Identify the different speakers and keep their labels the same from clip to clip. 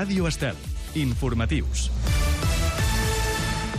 Speaker 1: Ràdio Estel. Informatius.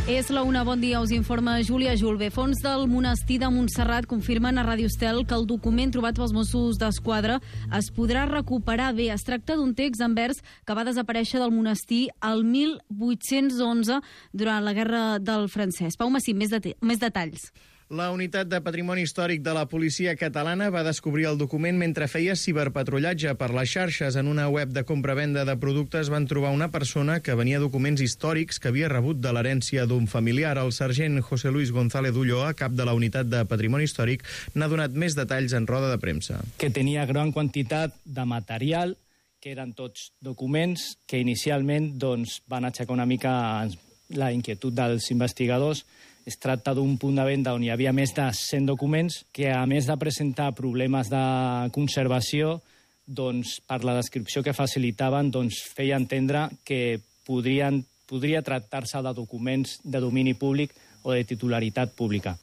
Speaker 2: És la una, bon dia, us informa Júlia Julve. Fons del monestir de Montserrat confirmen a Ràdio Estel que el document trobat pels Mossos d'Esquadra es podrà recuperar. Bé, es tracta d'un text en vers que va desaparèixer del monestir el 1811 durant la Guerra del Francès. Pau Massip, més detalls.
Speaker 3: La unitat de patrimoni històric de la policia catalana va descobrir el document mentre feia ciberpatrullatge per les xarxes. En una web de compra-venda de productes van trobar una persona que venia documents històrics que havia rebut de l'herència d'un familiar. El sergent José Luis González Ulloa, cap de la unitat de patrimoni històric, n'ha donat més detalls en roda de premsa.
Speaker 4: Que tenia gran quantitat de material, que eren tots documents que inicialment van aixecar una mica la inquietud dels investigadors. Es tracta d'un punt de venda on hi havia més de 100 documents que, a més de presentar problemes de conservació, per la descripció que facilitaven, feia entendre que podria tractar-se de documents de domini públic o de titularitat pública.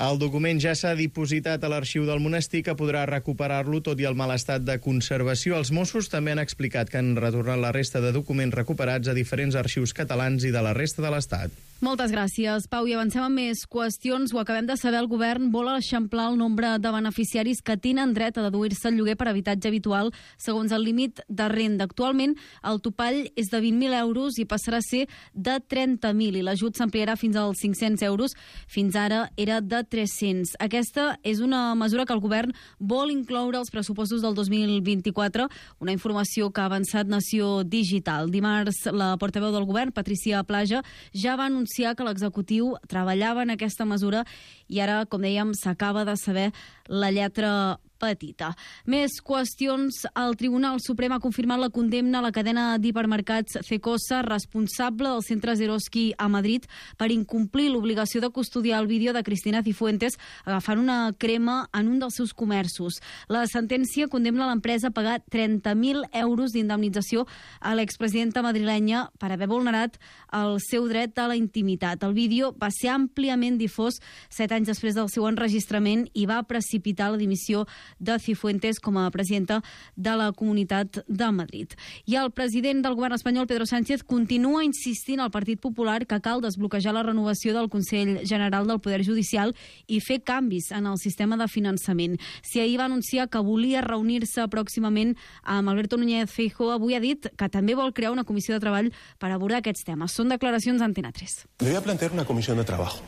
Speaker 3: El document ja s'ha dipositat a l'arxiu del monestir, que podrà recuperar-lo tot i el mal estat de conservació. Els Mossos també han explicat que han retornat la resta de documents recuperats a diferents arxius catalans i de la resta de l'Estat.
Speaker 2: Moltes gràcies, Pau. I avancem amb més qüestions. Ho acabem de saber, el govern vol eixamplar el nombre de beneficiaris que tenen dret a deduir-se el lloguer per habitatge habitual segons el límit de renda. Actualment, el topall és de 20.000 euros i passarà a ser de 30.000 i l'ajut s'ampliarà fins als 500 euros. Fins ara era de 300. Aquesta és una mesura que el govern vol incloure als pressupostos del 2024, una informació que ha avançat Nació Digital. Dimarts, la portaveu del govern, Patricia Plaja, ja va anunciar que l'executiu treballava en aquesta mesura i ara, com dèiem, s'acaba de saber la lletra petita. Més qüestions. El Tribunal Suprem ha confirmat la condemna a la cadena d'hipermercats Cecosa, responsable del centre Eroski a Madrid, per incomplir l'obligació de custodiar el vídeo de Cristina Cifuentes agafant una crema en un dels seus comerços. La sentència condemna l'empresa a pagar 30.000 euros d'indemnització a l'expresidenta madrilenya per haver vulnerat el seu dret a la intimitat. El vídeo va ser àmpliament difós 7 anys després del seu enregistrament i va precipitar la dimissió de Cifuentes com a presidenta de la Comunitat de Madrid. I el president del govern espanyol, Pedro Sánchez, continua insistint al Partit Popular que cal desbloquejar la renovació del Consell General del Poder Judicial i fer canvis en el sistema de finançament. Si ahir va anunciar que volia reunir-se pròximament amb Alberto Núñez Feijóo, avui ha dit que també vol crear una comissió de treball per abordar aquests temes. Són declaracions d'Antena 3.
Speaker 5: Le voy a plantear una comisión de trabajo.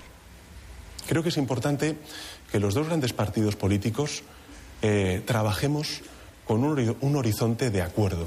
Speaker 5: Creo que es importante que los dos grandes partidos políticos trabajemos con un horizonte de acuerdo.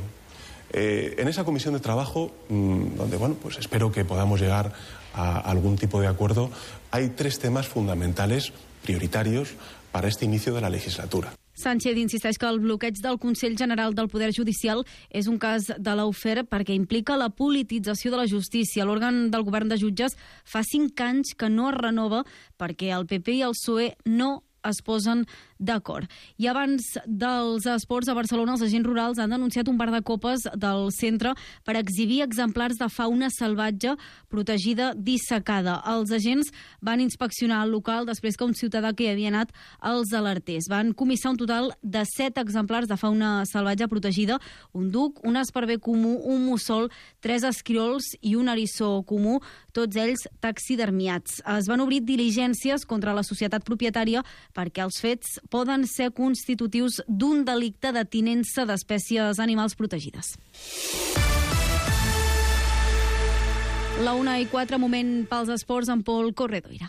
Speaker 5: En esa comisión de trabajo, donde pues espero que podamos llegar a algún tipo de acuerdo, hay 3 temas fundamentales, prioritarios, para este inicio de la legislatura.
Speaker 2: Sánchez insisteix que el bloqueig del Consell General del Poder Judicial és un cas de lawfare perquè implica la politització de la justícia. L'òrgan del govern de jutges fa 5 anys que no es renova perquè el PP i el PSOE no es posen d'acord. I abans dels esports a Barcelona, els agents rurals han denunciat un bar de copes del centre per exhibir exemplars de fauna salvatge protegida dissecada. Els agents van inspeccionar el local després que un ciutadà que hi havia anat els alertés. Van comissar un total de 7 exemplars de fauna salvatge protegida, un duc, un esparver comú, un mussol, 3 esquirols i un eriçó comú, tots ells taxidermiats. Es van obrir diligències contra la societat propietària perquè els fets poden ser constitutius d'un delicte de tinença d'espècies animals protegides. La 1:04, moment pels esports amb Pol Corredoira.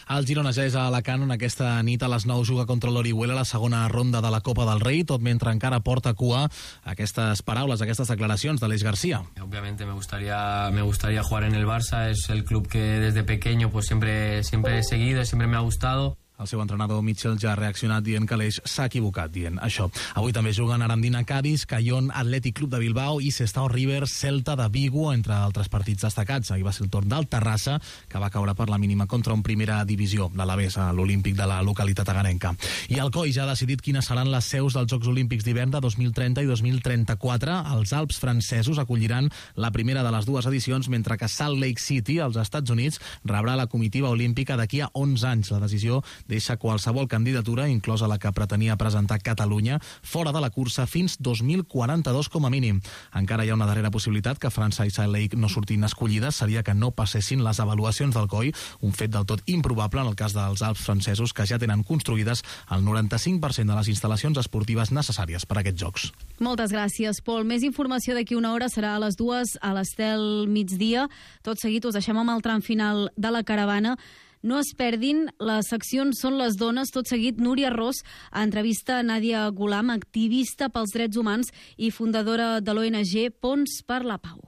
Speaker 6: El Girona ja és a Alacant, on aquesta nit a les 9 juga contra l'Orihuela la segona ronda de la Copa del Rei, tot mentre encara porta cua aquestes paraules, aquestes declaracions de Aleix García.
Speaker 7: Obviamente me gustaría jugar en el Barça, es el club que desde pequeño pues siempre he seguido, siempre me ha gustado.
Speaker 6: El seu entrenador Mitchell ja ha reaccionat dient que l'Eix s'ha equivocat dient això. Avui també juguen Arandina Cádiz, Cayón Atlètic Club de Bilbao i Sestao River Celta de Vigo, entre altres partits destacats. Ahir va ser el torn del Terrassa, que va caure per la mínima contra un primera divisió, l'Alavés, a l'Olímpic de la localitat agarenca. I el COI ja ha decidit quines seran les seus dels Jocs Olímpics d'hivern de 2030 i 2034. Els Alps francesos acolliran la primera de les dues edicions, mentre que Salt Lake City, als Estats Units, rebrà la comitiva olímpica d'aquí a 11 anys. La decisió deixa qualsevol candidatura, inclosa la que pretenia presentar Catalunya, fora de la cursa fins 2042 com a mínim. Encara hi ha una darrera possibilitat que França i Salt Lake no surtin escollides, seria que no passessin les avaluacions del COI, un fet del tot improbable en el cas dels Alps francesos, que ja tenen construïdes el 95% de les instal·lacions esportives necessàries per a aquests Jocs.
Speaker 2: Moltes gràcies, Pol. Més informació d'aquí una hora serà a les 2 a l'Estel migdia. Tot seguit us deixem amb el tram final de la caravana. No es perdin, les seccions són les dones. Tot seguit, Núria Ros entrevista Nadia Ghulam, activista pels drets humans i fundadora de l'ONG Ponts per la Pau.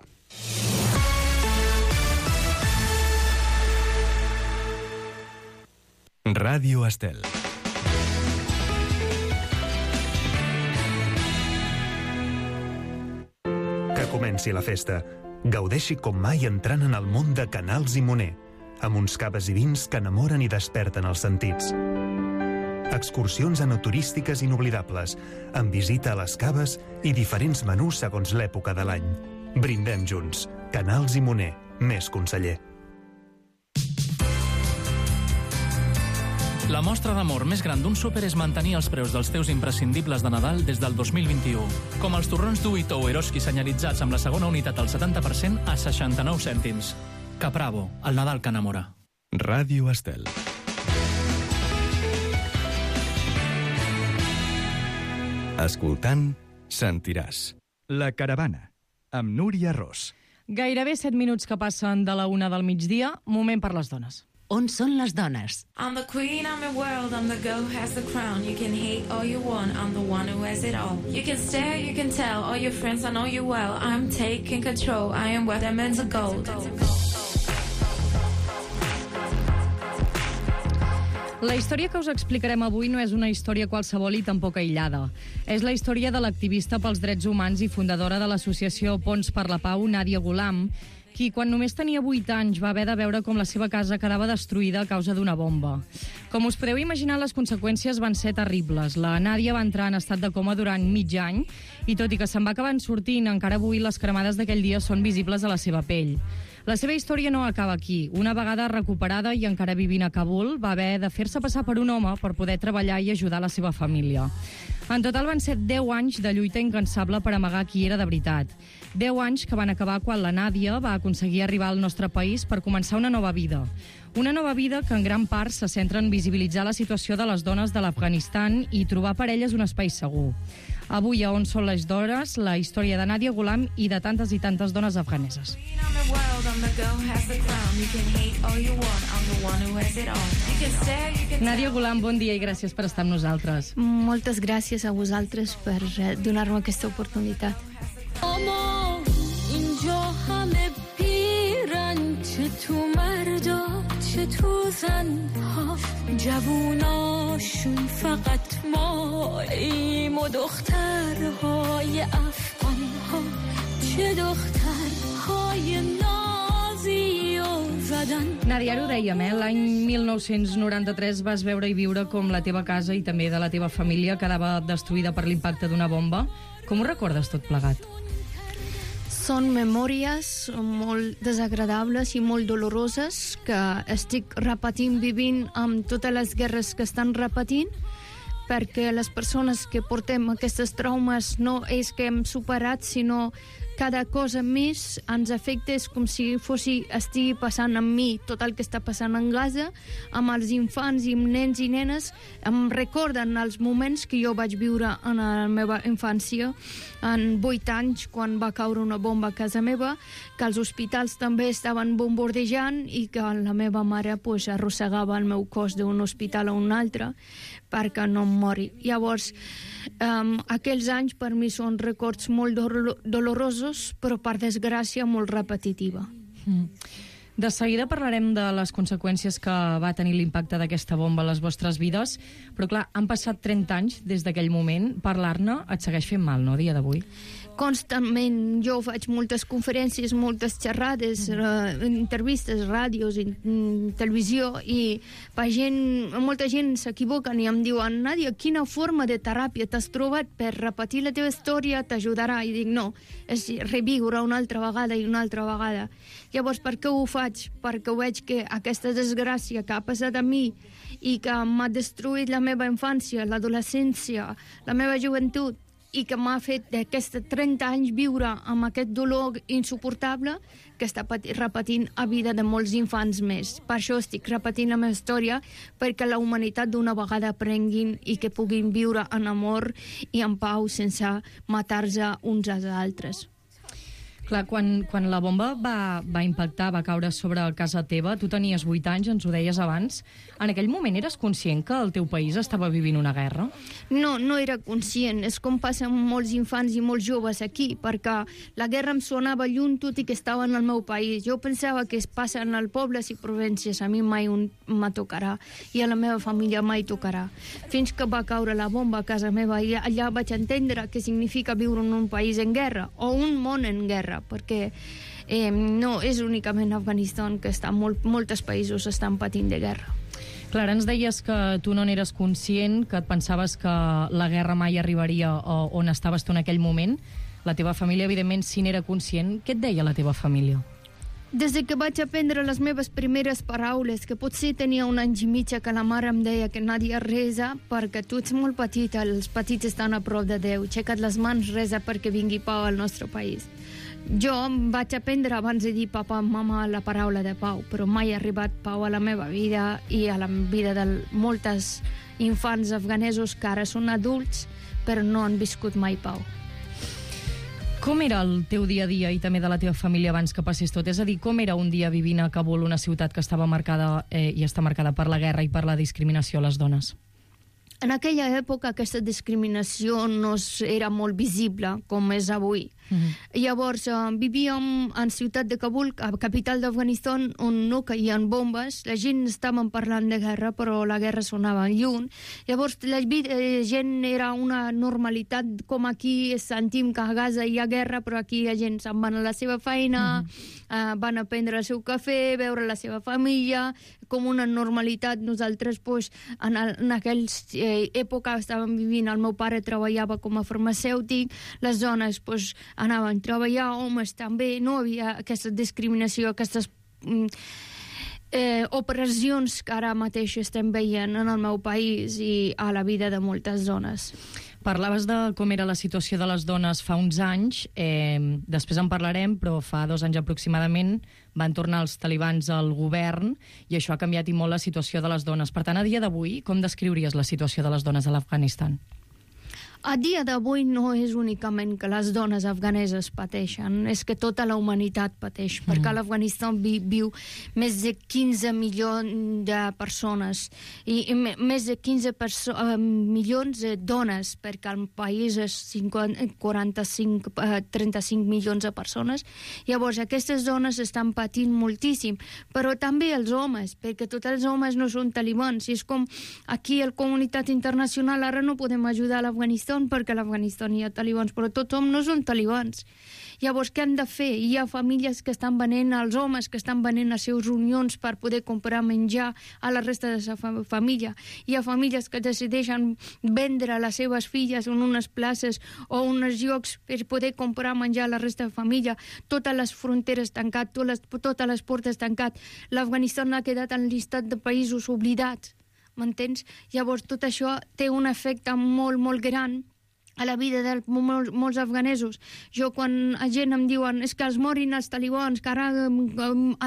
Speaker 1: Ràdio Estel.
Speaker 8: Que comenci la festa. Gaudeixi com mai entrant en el món de Canals i Moner, amb uns caves i vins que enamoren i desperten els sentits. Excursions enoturístiques inoblidables, amb visita a les caves i diferents menús segons l'època de l'any. Brindem junts. Canals i Moner, més conseller.
Speaker 9: La mostra d'amor més gran d'un súper és mantenir els preus dels teus imprescindibles de Nadal des del 2021. Com els torrons Duito o Eroski senyalitzats amb la segona unitat al 70% a 69 cèntims. Capravo, el Nadal que enamora.
Speaker 1: Ràdio Estel. Escoltant, sentiràs. La caravana, amb Núria Ros.
Speaker 10: Gairebé 7 minuts que passen de la 1 del migdia, moment per les dones.
Speaker 11: On són les dones?
Speaker 12: I'm the queen, I'm the world, I'm the girl who has the crown. You can hate all you want, I'm the one who has it all. You can stare, you can tell, all your friends I know you well. I'm taking control, I am what I'm meant to gold.
Speaker 10: La història que us explicarem avui no és una història qualsevol i tampoc aïllada. És la història de l'activista pels drets humans i fundadora de l'associació Ponts per la Pau, Nadia Ghulam, qui, quan només tenia 8 anys, va haver de veure com la seva casa quedava destruïda a causa d'una bomba. Com us podeu imaginar, les conseqüències van ser terribles. La Nàdia va entrar en estat de coma durant mig any i, tot i que se'n va acabar sortint, encara avui les cremades d'aquell dia són visibles a la seva pell. La seva història no acaba aquí. Una vegada recuperada i encara vivint a Kabul, va haver de fer-se passar per un home per poder treballar i ajudar la seva família. En total van ser 10 anys de lluita incansable per amagar qui era de veritat. 10 anys que van acabar quan la Nàdia va aconseguir arribar al nostre país per començar una nova vida. Una nova vida que en gran part se centra en visibilitzar la situació de les dones de l'Afganistan i trobar per elles un espai segur. Avui, a On són les dones, la història de Nadia Ghulam i de tantes i tantes dones afganeses. Nadia Ghulam, bon dia i gràcies per estar amb nosaltres.
Speaker 13: Moltes gràcies a vosaltres per donar-me aquesta oportunitat. چه تو مردا چه تو زنها جووناشون فقط ماییم و دخترهای افغانها چه دخترهای نازی و زدن.
Speaker 10: Nàdia, ara ho dèiem, l'any 1993 vas veure i viure com la teva casa i també de la teva família quedava destruïda per l'impacte d'una bomba. Com ho recordes tot plegat?
Speaker 13: Són memòries molt desagradables i molt doloroses que estic repetint, vivint amb totes les guerres que estan repetint, perquè les persones que portem aquestes traumes no és que hem superat, sinó cada cosa més ens afecta. És com si estigui passant amb mi tot el que està passant en Gaza, amb els infants i nens i nenes. Em recorden els moments que jo vaig viure en la meva infància, en 8 anys, quan va caure una bomba a casa meva, que els hospitals també estaven bombardejant i que la meva mare arrossegava el meu cos d'un hospital a un altre perquè no em mori. Llavors, aquells anys per mi són records molt dolorosos, però per desgràcia molt repetitiva.
Speaker 10: De seguida parlarem de les conseqüències que va tenir l'impacte d'aquesta bomba a les vostres vides, però clar, han passat 30 anys des d'aquell moment. Parlar-ne et segueix fent mal, no, a dia d'avui?
Speaker 13: Constantment. Jo faig moltes conferències, moltes xerrades, entrevistes, ràdios, televisió, i molta gent s'equivoquen i em diuen: Nàdia, quina forma de teràpia t'has trobat per repetir la teva història? T'ajudarà? I dic: no, és reviure una altra vegada i una altra vegada. Llavors, per què ho faig? faig perquè veig que aquesta desgràcia que ha passat a mi i que m'ha destruït la meva infància, l'adolescència, la meva joventut, i que m'ha fet d'aquests 30 anys viure amb aquest dolor insuportable que està repetint a vida de molts infants més. Per això estic repetint la meva història, perquè la humanitat d'una vegada aprenguin i que puguin viure en amor i en pau sense matar-se uns als altres.
Speaker 10: Clar, quan la bomba va impactar, va caure sobre casa teva, tu tenies 8 anys, ens ho deies abans. En aquell moment eres conscient que el teu país estava vivint una guerra?
Speaker 13: No, no era conscient. És com passa amb molts infants i molts joves aquí, perquè la guerra em sonava lluny tot i que estava en el meu país. Jo pensava que es passa en els pobles i províncies, a mi mai me tocarà, i a la meva família mai tocarà. Fins que va caure la bomba a casa meva, i allà vaig entendre què significa viure en un país en guerra, o un món en guerra, perquè no és únicament Afganistan, que molts països estan patint de guerra.
Speaker 10: Clar, ens deies que tu no n'eres conscient, que et pensaves que la guerra mai arribaria on estaves tu en aquell moment. La teva família, evidentment, sí n'era conscient. Què et deia la teva família?
Speaker 13: Des que vaig aprendre les meves primeres paraules, que potser tenia 1 any i mig, que la mare em deia que Nàdia resa perquè tu ets molt petita, els petits estan a prop de Déu, aixeca't les mans, resa perquè vingui pau al nostre país. Jo vaig aprendre abans de dir papa i mama la paraula de pau, però mai ha arribat pau a la meva vida i a la vida de moltes infants afganesos que ara són adults però no han viscut mai pau.
Speaker 10: Com era el teu dia a dia i també de la teva família abans que passés tot? És a dir, com era un dia vivint a Kabul, una ciutat que estava marcada i està marcada per la guerra i per la discriminació a les dones?
Speaker 13: En aquella època aquesta discriminació no era molt visible com és avui. Llavors vivíem en ciutat de Kabul, capital d'Afganistan, on no caien bombes, la gent estava parlant de guerra però la guerra sonava lluny. Llavors la gent era una normalitat, com aquí sentim que a Gaza hi ha guerra, però aquí la gent se'n van a la seva feina, van a prendre el seu cafè, veure la seva família, com una normalitat. Nosaltres en aquella època estàvem vivint, el meu pare treballava com a farmacèutic, les dones anaven a treballar, homes també, no havia aquesta discriminació, aquestes operacions que ara mateix estem veient en el meu país i a la vida de moltes dones.
Speaker 10: Parlaves de com era la situació de les dones fa uns anys, després en parlarem, però fa 2 anys aproximadament van tornar els talibans al govern i això ha canviat i molt la situació de les dones. Per tant, a dia d'avui, com descriuries la situació de les dones a l'Afganistan?
Speaker 13: A dia d'avui no és únicament que les dones afganeses pateixen, és que tota la humanitat pateix, perquè a l'Afganistan viu més de 15 milions de persones i més de 15 milions de dones, perquè el país és 35 milions de persones. Llavors aquestes dones estan patint moltíssim, però també els homes, perquè tots els homes no són talibans, i és com aquí a la comunitat internacional ara no podem ajudar a l'Afganistan perquè a l'Afganistan hi ha talibans, però tothom no són talibans. Llavors, què han de fer? Hi ha famílies que estan venent, els homes que estan venent les seves unions per poder comprar menjar a la resta de la família. Hi ha famílies que decideixen vendre les seves filles en unes places o uns llocs per poder comprar menjar a la resta de família. Totes les fronteres tancades, totes les portes tancades. L'Afganistan ha quedat en llistat de països oblidats. M'entens? Llavors tot això té un efecte molt, molt gran a la vida de molts afganesos. Jo, quan la gent em diuen és que es morin els talibans, que ara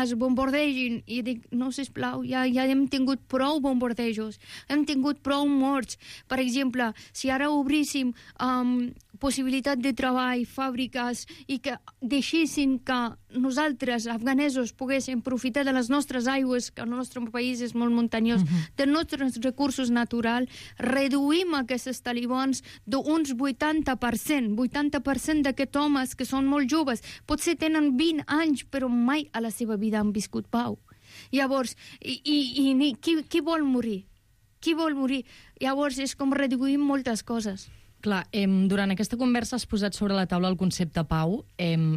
Speaker 13: es bombardegin, i dic, no, sisplau, ja hem tingut prou bombardejos, hem tingut prou morts. Per exemple, si ara obríssim possibilitat de treball, fàbriques, i que deixessin que nosaltres, afganesos, poguéssim aprofitar de les nostres aigües, que el nostre país és molt muntanyós, dels nostres recursos naturals, reduïm aquests talibans d'uns 80% d'aquests homes que són molt joves, potser tenen 20 anys, però mai a la seva vida han viscut pau. Llavors, qui vol morir? Qui vol morir? Llavors és com reduïm moltes coses.
Speaker 10: Clar, durant aquesta conversa has posat sobre la taula el concepte pau.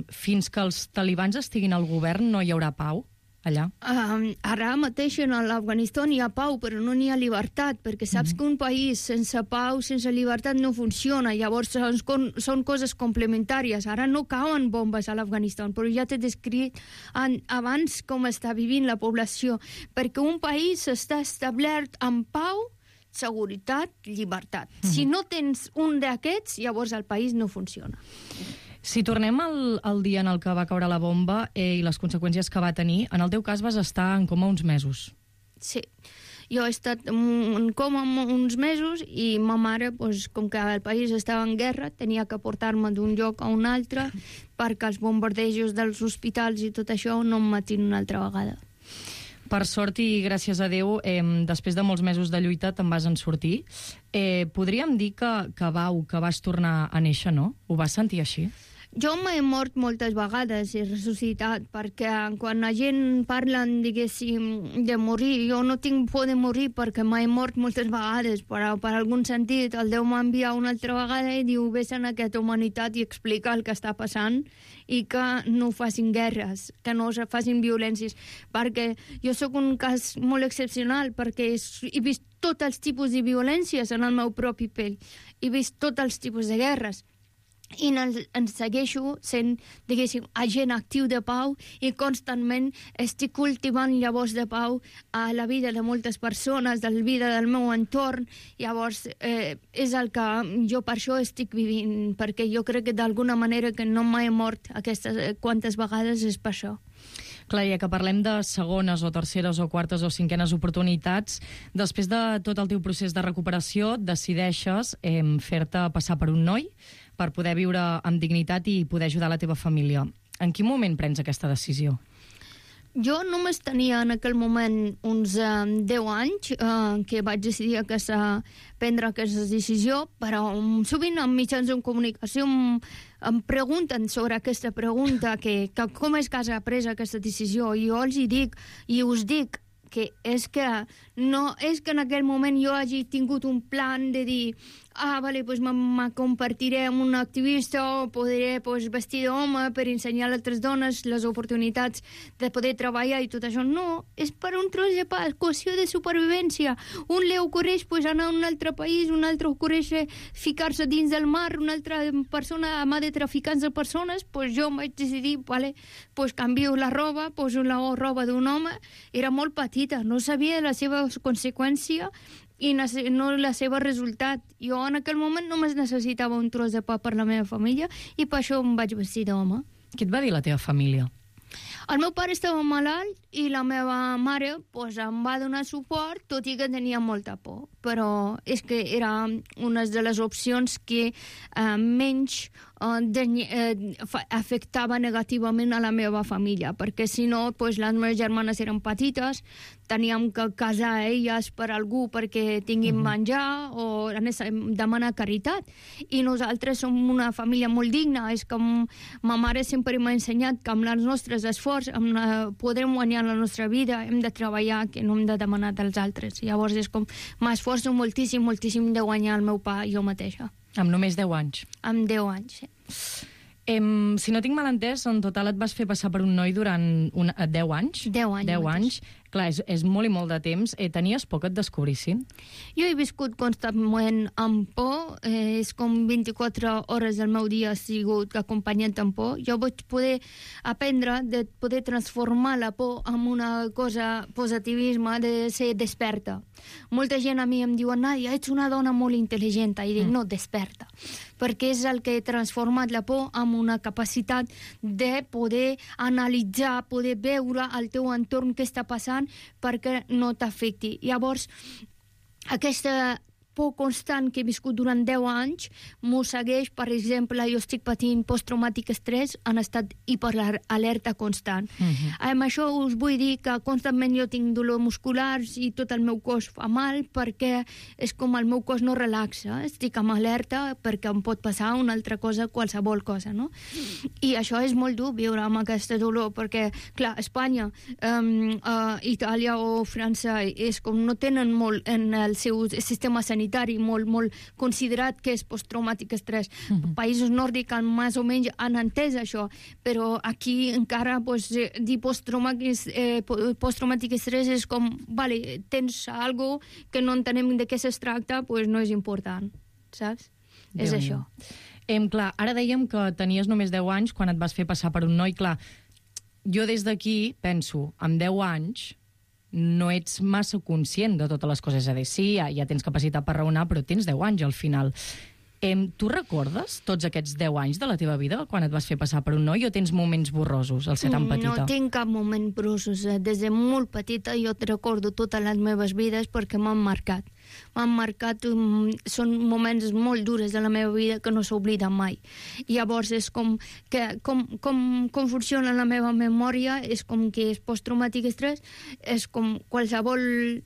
Speaker 10: Fins que els talibans estiguin al govern no hi haurà pau? allà?
Speaker 13: Ara mateix a l'Afganistan hi ha pau, però no n'hi ha llibertat, perquè saps que un país sense pau, sense llibertat, no funciona. Llavors són coses complementàries. Ara no cauen bombes a l'Afganistan, però ja t'he descrit abans com està vivint la població, perquè un país està establert amb pau, seguretat, llibertat. Si no tens un d'aquests, llavors el país no funciona.
Speaker 10: Si tornem al dia en el que va caure la bomba i les conseqüències que va tenir, en el teu cas vas estar en coma uns mesos.
Speaker 13: Sí, jo he estat en coma uns mesos i ma mare, com que el país estava en guerra, tenia que portar-me d'un lloc a un altre perquè els bombardejos dels hospitals i tot això no em matin una altra vegada.
Speaker 10: Per sort i gràcies a Déu, després de molts mesos de lluita te'n vas en sortir. Podríem dir que vas tornar a néixer, no? Ho vas sentir així?
Speaker 13: Jo m'he mort moltes vegades, he ressuscitat, perquè quan la gent parla, diguéssim, de morir, jo no tinc por de morir perquè m'he mort moltes vegades, però per algun sentit el Déu m'envia una altra vegada i diu, vés en aquesta humanitat i explica el que està passant i que no facin guerres, que no facin violències, perquè jo sóc un cas molt excepcional, perquè he vist tots els tipus de violències en el meu propi pell, he vist tots els tipus de guerres, i en segueixo sent, diguéssim, agent actiu de pau i constantment estic cultivant llavors de pau a la vida de moltes persones, de la vida del meu entorn. Llavors és el que jo per això estic vivint, perquè jo crec que d'alguna manera que no m'he mort aquestes quantes vegades és per això.
Speaker 10: Clar, ja que parlem de segones o terceres o quartes o cinquenes oportunitats, després de tot el teu procés de recuperació decideixes fer-te passar per un noi per poder viure amb dignitat i poder ajudar la teva família. En quin moment prens aquesta decisió?
Speaker 13: Jo només tenia en aquell moment uns 10 anys que vaig decidir prendre aquesta decisió, però sovint en mitjans de comunicació em pregunten sobre aquesta pregunta, que com és que has pres aquesta decisió, i jo els dic, i us dic, que és que no és que en aquell moment jo hagi tingut un plan de dir vale, pues me convertiré en un activista o podré vestir d'home per ensenyar a altres dones les oportunitats de poder treballar i tot això. No, és per un tros de qüestió de supervivència. Un li ocorreix anar a un altre país, un altre ocorreix ficar-se dins del mar, una altra persona mà de traficants de persones, jo vaig decidir, vale, canvio la roba, poso la roba d'un home. Era molt petita, no sabia la seva conseqüència i no la seva resultat. Jo en aquell moment només necessitava un tros de pa per la meva família i per això em vaig vestir d'home.
Speaker 10: Què et va dir la teva família?
Speaker 13: El meu pare estava malalt i la meva mare em va donar suport, tot i que tenia molta por. Però és que era una de les opcions que menys afectava negativament a la meva família, perquè si no, les meves germanes eren petites, teníem que casar elles per algú perquè tinguin menjar o demanar caritat. I nosaltres som una família molt digna. És com ma mare sempre m'ha ensenyat que amb els nostres esforços podrem guanyar la nostra vida, hem de treballar, que no hem de demanar dels altres. Llavors és com m'esforço moltíssim, moltíssim de guanyar el meu pa jo mateixa.
Speaker 10: Amb només 10 anys?
Speaker 13: Amb 10 anys, sí.
Speaker 10: Si no tinc mal entès, en total et vas fer passar per un noi durant 10 anys?
Speaker 13: 10 anys.
Speaker 10: 10 anys. Clar, és molt i molt de temps. Tenies por que et descobrissin?
Speaker 13: Jo he viscut constantment amb por. És com 24 hores del meu dia ha sigut acompanyat amb por. Jo vaig poder aprendre de poder transformar la por en una cosa, positivisme, de ser desperta. Molta gent a mi em diu, Nàdia, ets una dona molt intel·ligent. I dic, no, desperta. Perquè és el que he transformat la por en una capacitat de poder analitzar, poder veure el teu entorn què està passant perquè no t'afecti. Llavors, aquesta por constant que he viscut durant 10 anys m'ho segueix. Per exemple, jo estic patint posttraumàtic estrès en estat hiperalerta constant. Amb això us vull dir que constantment jo tinc dolor musculars i tot el meu cos fa mal perquè és com el meu cos no relaxa. Estic amb alerta perquè em pot passar una altra cosa, qualsevol cosa, no? I això és molt dur, viure amb aquest dolor, perquè, clar, Espanya, Itàlia o França és com no tenen molt en el seu sistema sanitari majoritari, molt considerat que és posttraumàtic estrès. Països nòrdics més o menys han entès això, però aquí encara dir posttraumàtic estrès és com, vale, tens algo que no entenem de què es tracta, no és important, saps? És això.
Speaker 10: Clar, ara dèiem que tenies només 10 anys quan et vas fer passar per un noi. Clar, jo des d'aquí penso, amb 10 anys no ets massa conscient de totes les coses. És a dir, sí, ja tens capacitat per raonar, però tens 10 anys al final. Tu recordes tots aquests 10 anys de la teva vida quan et vas fer passar per un noi, o tens moments borrosos al ser tan petita?
Speaker 13: No tinc cap moment borrosos. Des de molt petita jo te recordo totes les meves vides perquè m'han marcat. Són moments molt durs de la meva vida que no s'obliden mai. Llavors és com funciona la meva memòria, és com que és posttraumàtic estrès, és com qualsevol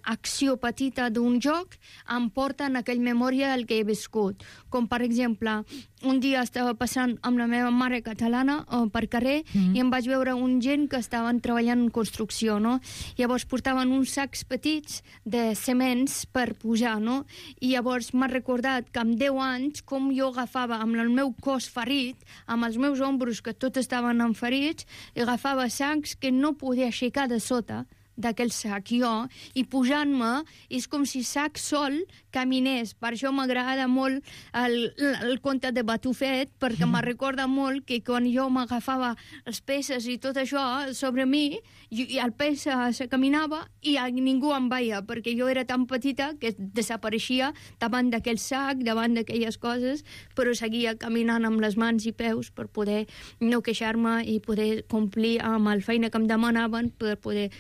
Speaker 13: acció petita d'un joc em porta en aquella memòria el que he viscut. Com, per exemple, un dia estava passant amb la meva mare catalana per carrer i em vaig veure un gent que estaven treballant en construcció, no? Llavors portaven uns sacs petits de cements per pujar, no? I llavors m'ha recordat que amb 10 anys com jo agafava amb el meu cos ferit, amb els meus ombros que tots estaven enferits, i agafava sacs que no podia aixecar de sota d'aquell sac jo, i pujant-me és com si sac sol caminés. Per això m'agrada molt el conte de Batufet, perquè me recorda molt que quan jo m'agafava els peces i tot això sobre mi, i el pes se caminava i ningú em veia, perquè jo era tan petita que desapareixia davant d'aquell sac, davant d'aquelles coses, però seguia caminant amb les mans i peus per poder no queixar-me i poder complir amb la feina que em demanaven per poder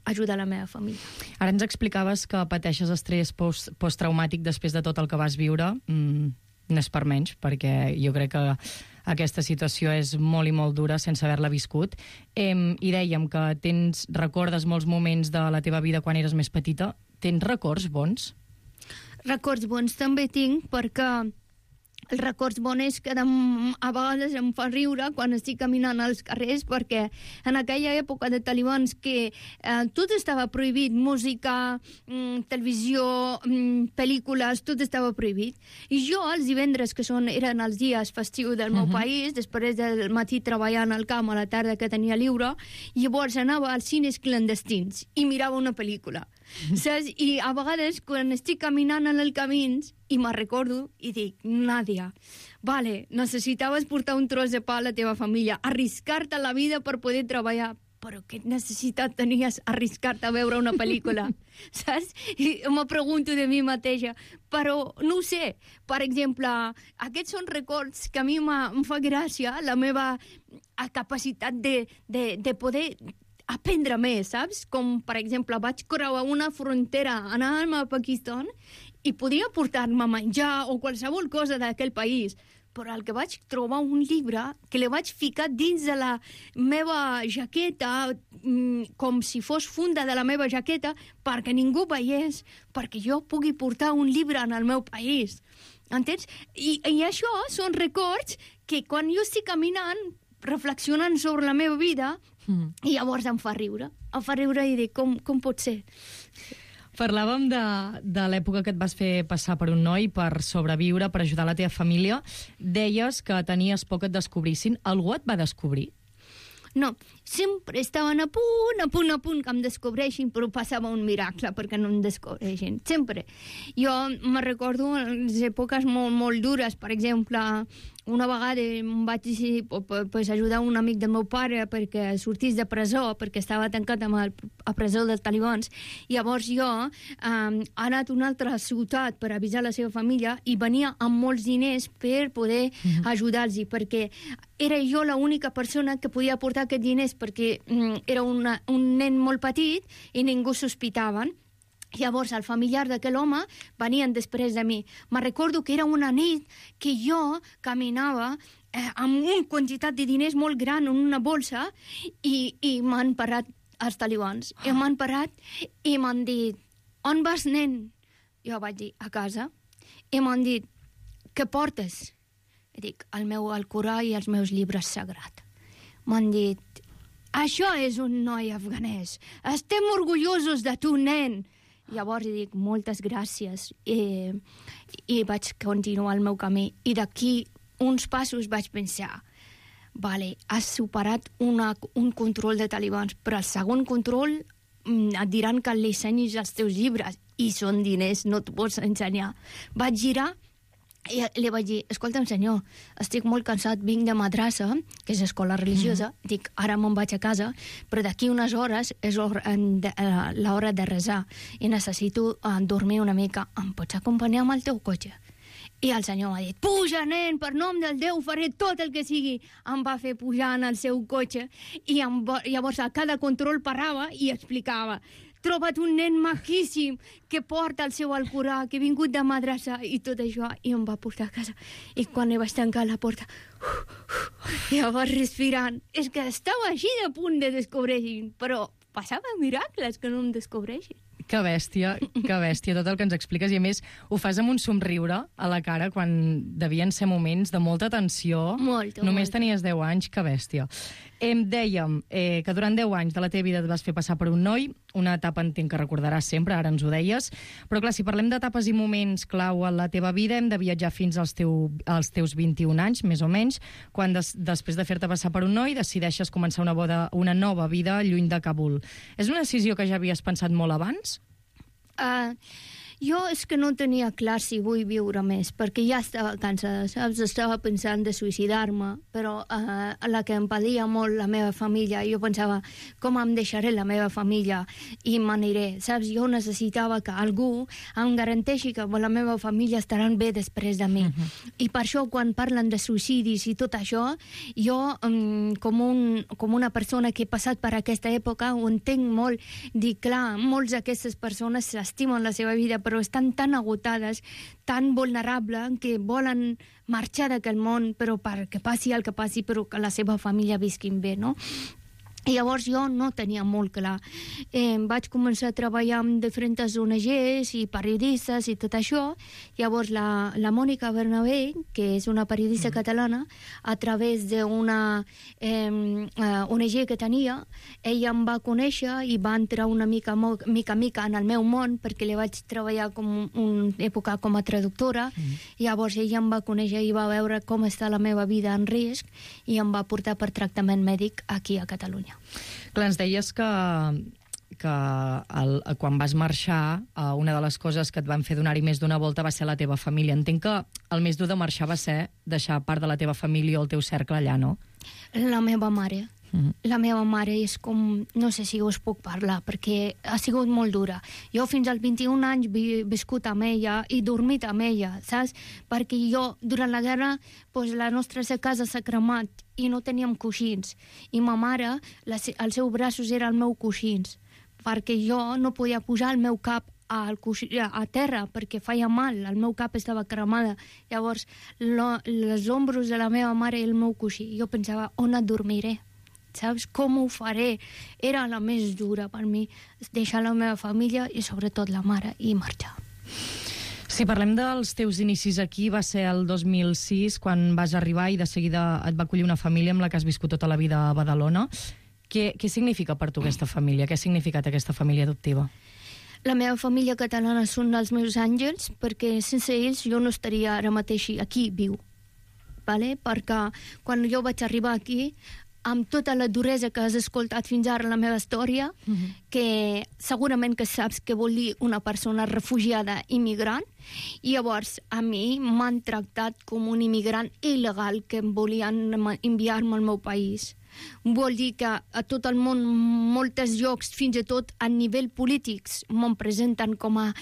Speaker 13: ajudar la meva família.
Speaker 10: Ara ens explicaves que pateixes estrès posttraumàtic després de tot el que vas viure. No és per menys, perquè jo crec que aquesta situació és molt i molt dura sense haver-la viscut. I dèiem que recordes molts moments de la teva vida quan eres més petita. Tens records bons?
Speaker 13: Records bons també tinc, perquè els records bons que a vegades em fa riure quan estic caminant als carrers, perquè en aquella època de talibans que tot estava prohibit, música, televisió, pel·lícules, tot estava prohibit. I jo, els divendres, que eren els dies festius del meu país, després del matí treballant al camp, a la tarda que tenia lliure, llavors anava als cines clandestins i mirava una pel·lícula. Saps? I a vegades, quan estic caminant en el camí, i me'n recordo i dic, Nàdia, vale, necessitaves portar un tros de pa a la teva família, arriscar-te la vida per poder treballar, però què necessitat tenies arriscar-te a veure una pel·lícula? Saps? I me pregunto de mi mateixa, però no ho sé. Per exemple, aquests són records que a mi em fa gràcia, la meva capacitat de poder aprendre més, saps? Com, per exemple, vaig creuar una frontera, anàvem a Pakistan i podia portar-me menjar o qualsevol cosa d'aquell país, però el que vaig trobar un llibre que li vaig ficar dins de la meva jaqueta, com si fos funda de la meva jaqueta, perquè ningú veiés, perquè jo pugui portar un llibre en el meu país. Entens? I això són records que quan jo estic caminant, reflexionant sobre la meva vida, i llavors em fa riure i dic, com pot ser?
Speaker 10: Parlàvem de l'època que et vas fer passar per un noi per sobreviure, per ajudar la teva família. Deies que tenies por que et descobrissin. Algú et va descobrir?
Speaker 13: No, sempre estaven a punt que em descobreixin, però passava un miracle perquè no em descobreixin, sempre. Jo me recordo les èpoques molt dures, per exemple, una vegada em vaig decidir ajudar un amic del meu pare perquè sortís de presó, perquè estava tancat a presó dels talibans. Llavors jo he anat a una altra ciutat per avisar la seva família i venia amb molts diners per poder ajudar-los, perquè era jo l'única persona que podia aportar aquests diners, perquè era un nen molt petit i ningú sospitaven. Llavors, el familiar d'aquell home venien després de mi. Me recordo que era una nit que jo caminava amb una quantitat de diners molt gran en una bolsa i m'han parat els talibans. I m'han parat i m'han dit, on vas, nen? Jo vaig dir, a casa. I m'han dit, què portes? I dic, el meu Alcorà i els meus llibres sagrats. M'han dit, això és un noi afganès. Estem orgullosos de tu, nen. Llavors dic, moltes gràcies. I vaig continuar el meu camí. I d'aquí uns passos vaig pensar, vale, has superat un control de talibans, però el segon control et diran que li ensenyis els teus llibres i són diners, no t'ho pots ensenyar. Vaig girar i li vaig dir, escolta'm senyor, estic molt cansat, vinc de madrassa, que és escola religiosa, dic, ara me'n vaig a casa, però d'aquí unes hores és l'hora de resar i necessito dormir una mica. Em pots acompanyar amb el teu cotxe? I el senyor m'ha dit, puja, nen, per nom del Déu faré tot el que sigui. Em va fer pujar en el seu cotxe i llavors a cada control parava i explicava, troba't un nen maquíssim que porta el seu Alcorà, que ha vingut de madrassa i tot això, i em va portar a casa. I quan vaig tancar la porta, llavors respirant, és que estava així de punt de descobrir, però passava miracles que no em descobreixin.
Speaker 10: Que bèstia, tot el que ens expliques. I a més, ho fas amb un somriure a la cara quan devien ser moments de molta tensió. Només tenies 10 anys, que bèstia. Dèiem que durant 10 anys de la teva vida et vas fer passar per un noi, una etapa entenc que recordaràs sempre, ara ens ho deies, però clar, si parlem d'etapes i moments clau en la teva vida, hem de viatjar fins als teus 21 anys, més o menys, quan després de fer-te passar per un noi decideixes començar una nova vida lluny de Kabul. És una decisió que ja havies pensat molt abans?
Speaker 13: Jo és que no tenia clar si vull viure més, perquè ja estava cansada, saps? Estava pensant de suïcidar-me, però la que em patia molt la meva família, jo pensava, com em deixaré la meva família i m'aniré, saps? Jo necessitava que algú em garanteixi que la meva família estaran bé després de mi. I per això, quan parlen de suïcidis i tot això, jo, com una persona que he passat per aquesta època, ho entenc molt. Dic, clar, molts d'aquestes persones s'estimen la seva vida, però estan tan agotades, tan vulnerables, que volen marxar d'aquest món, però perquè passi el que passi, però que la seva família visquin bé, no? I llavors jo no tenia molt clar. Vaig començar a treballar amb diferents ONGs i periodistes i tot això. Llavors la Mònica Bernabé, que és una periodista catalana, a través d'una ONG que tenia, ella em va conèixer i va entrar una mica en el meu món, perquè li vaig treballar una època com a traductora. Llavors ella em va conèixer i va veure com està la meva vida en risc i em va portar per tractament mèdic aquí a Catalunya.
Speaker 10: Clar, ens deies que quan vas marxar, una de les coses que et van fer donar-hi més d'una volta va ser la teva família. Entenc que el més dur de marxar va ser deixar part de la teva família o el teu cercle allà, no?
Speaker 13: La meva mare. La meva mare és com... No sé si us puc parlar, perquè ha sigut molt dura. Jo fins als 21 anys he viscut amb ella i dormit amb ella, saps? Perquè jo, durant la guerra, la nostra casa s'ha cremat i no teníem coixins. I ma mare, els seus braços eren els meus coixins, perquè jo no podia posar el meu cap a terra perquè feia mal, el meu cap estava cremada. Llavors, els ombros de la meva mare i el meu coixí. Jo pensava, on et dormiré? Saps? Com ho faré? Era la més dura per mi, deixar la meva família i sobretot la mare i marxar.
Speaker 10: Si parlem dels teus inicis aquí, va ser el 2006 quan vas arribar i de seguida et va acollir una família amb la que has viscut tota la vida a Badalona. Què significa per tu aquesta família? Què ha significat aquesta família adoptiva?
Speaker 13: La meva família catalana són els meus àngels, perquè sense ells jo no estaria ara mateix aquí viu. Perquè quan jo vaig arribar aquí, amb tota la duresa que has escoltat fins ara en la meva història, que segurament que saps què vol dir una persona refugiada immigrant, i llavors a mi m'han tractat com un immigrant il·legal que volien enviar-me al meu país. Vol dir que a tot el món, molts llocs, fins i tot a nivell polítics, me'n presenten com a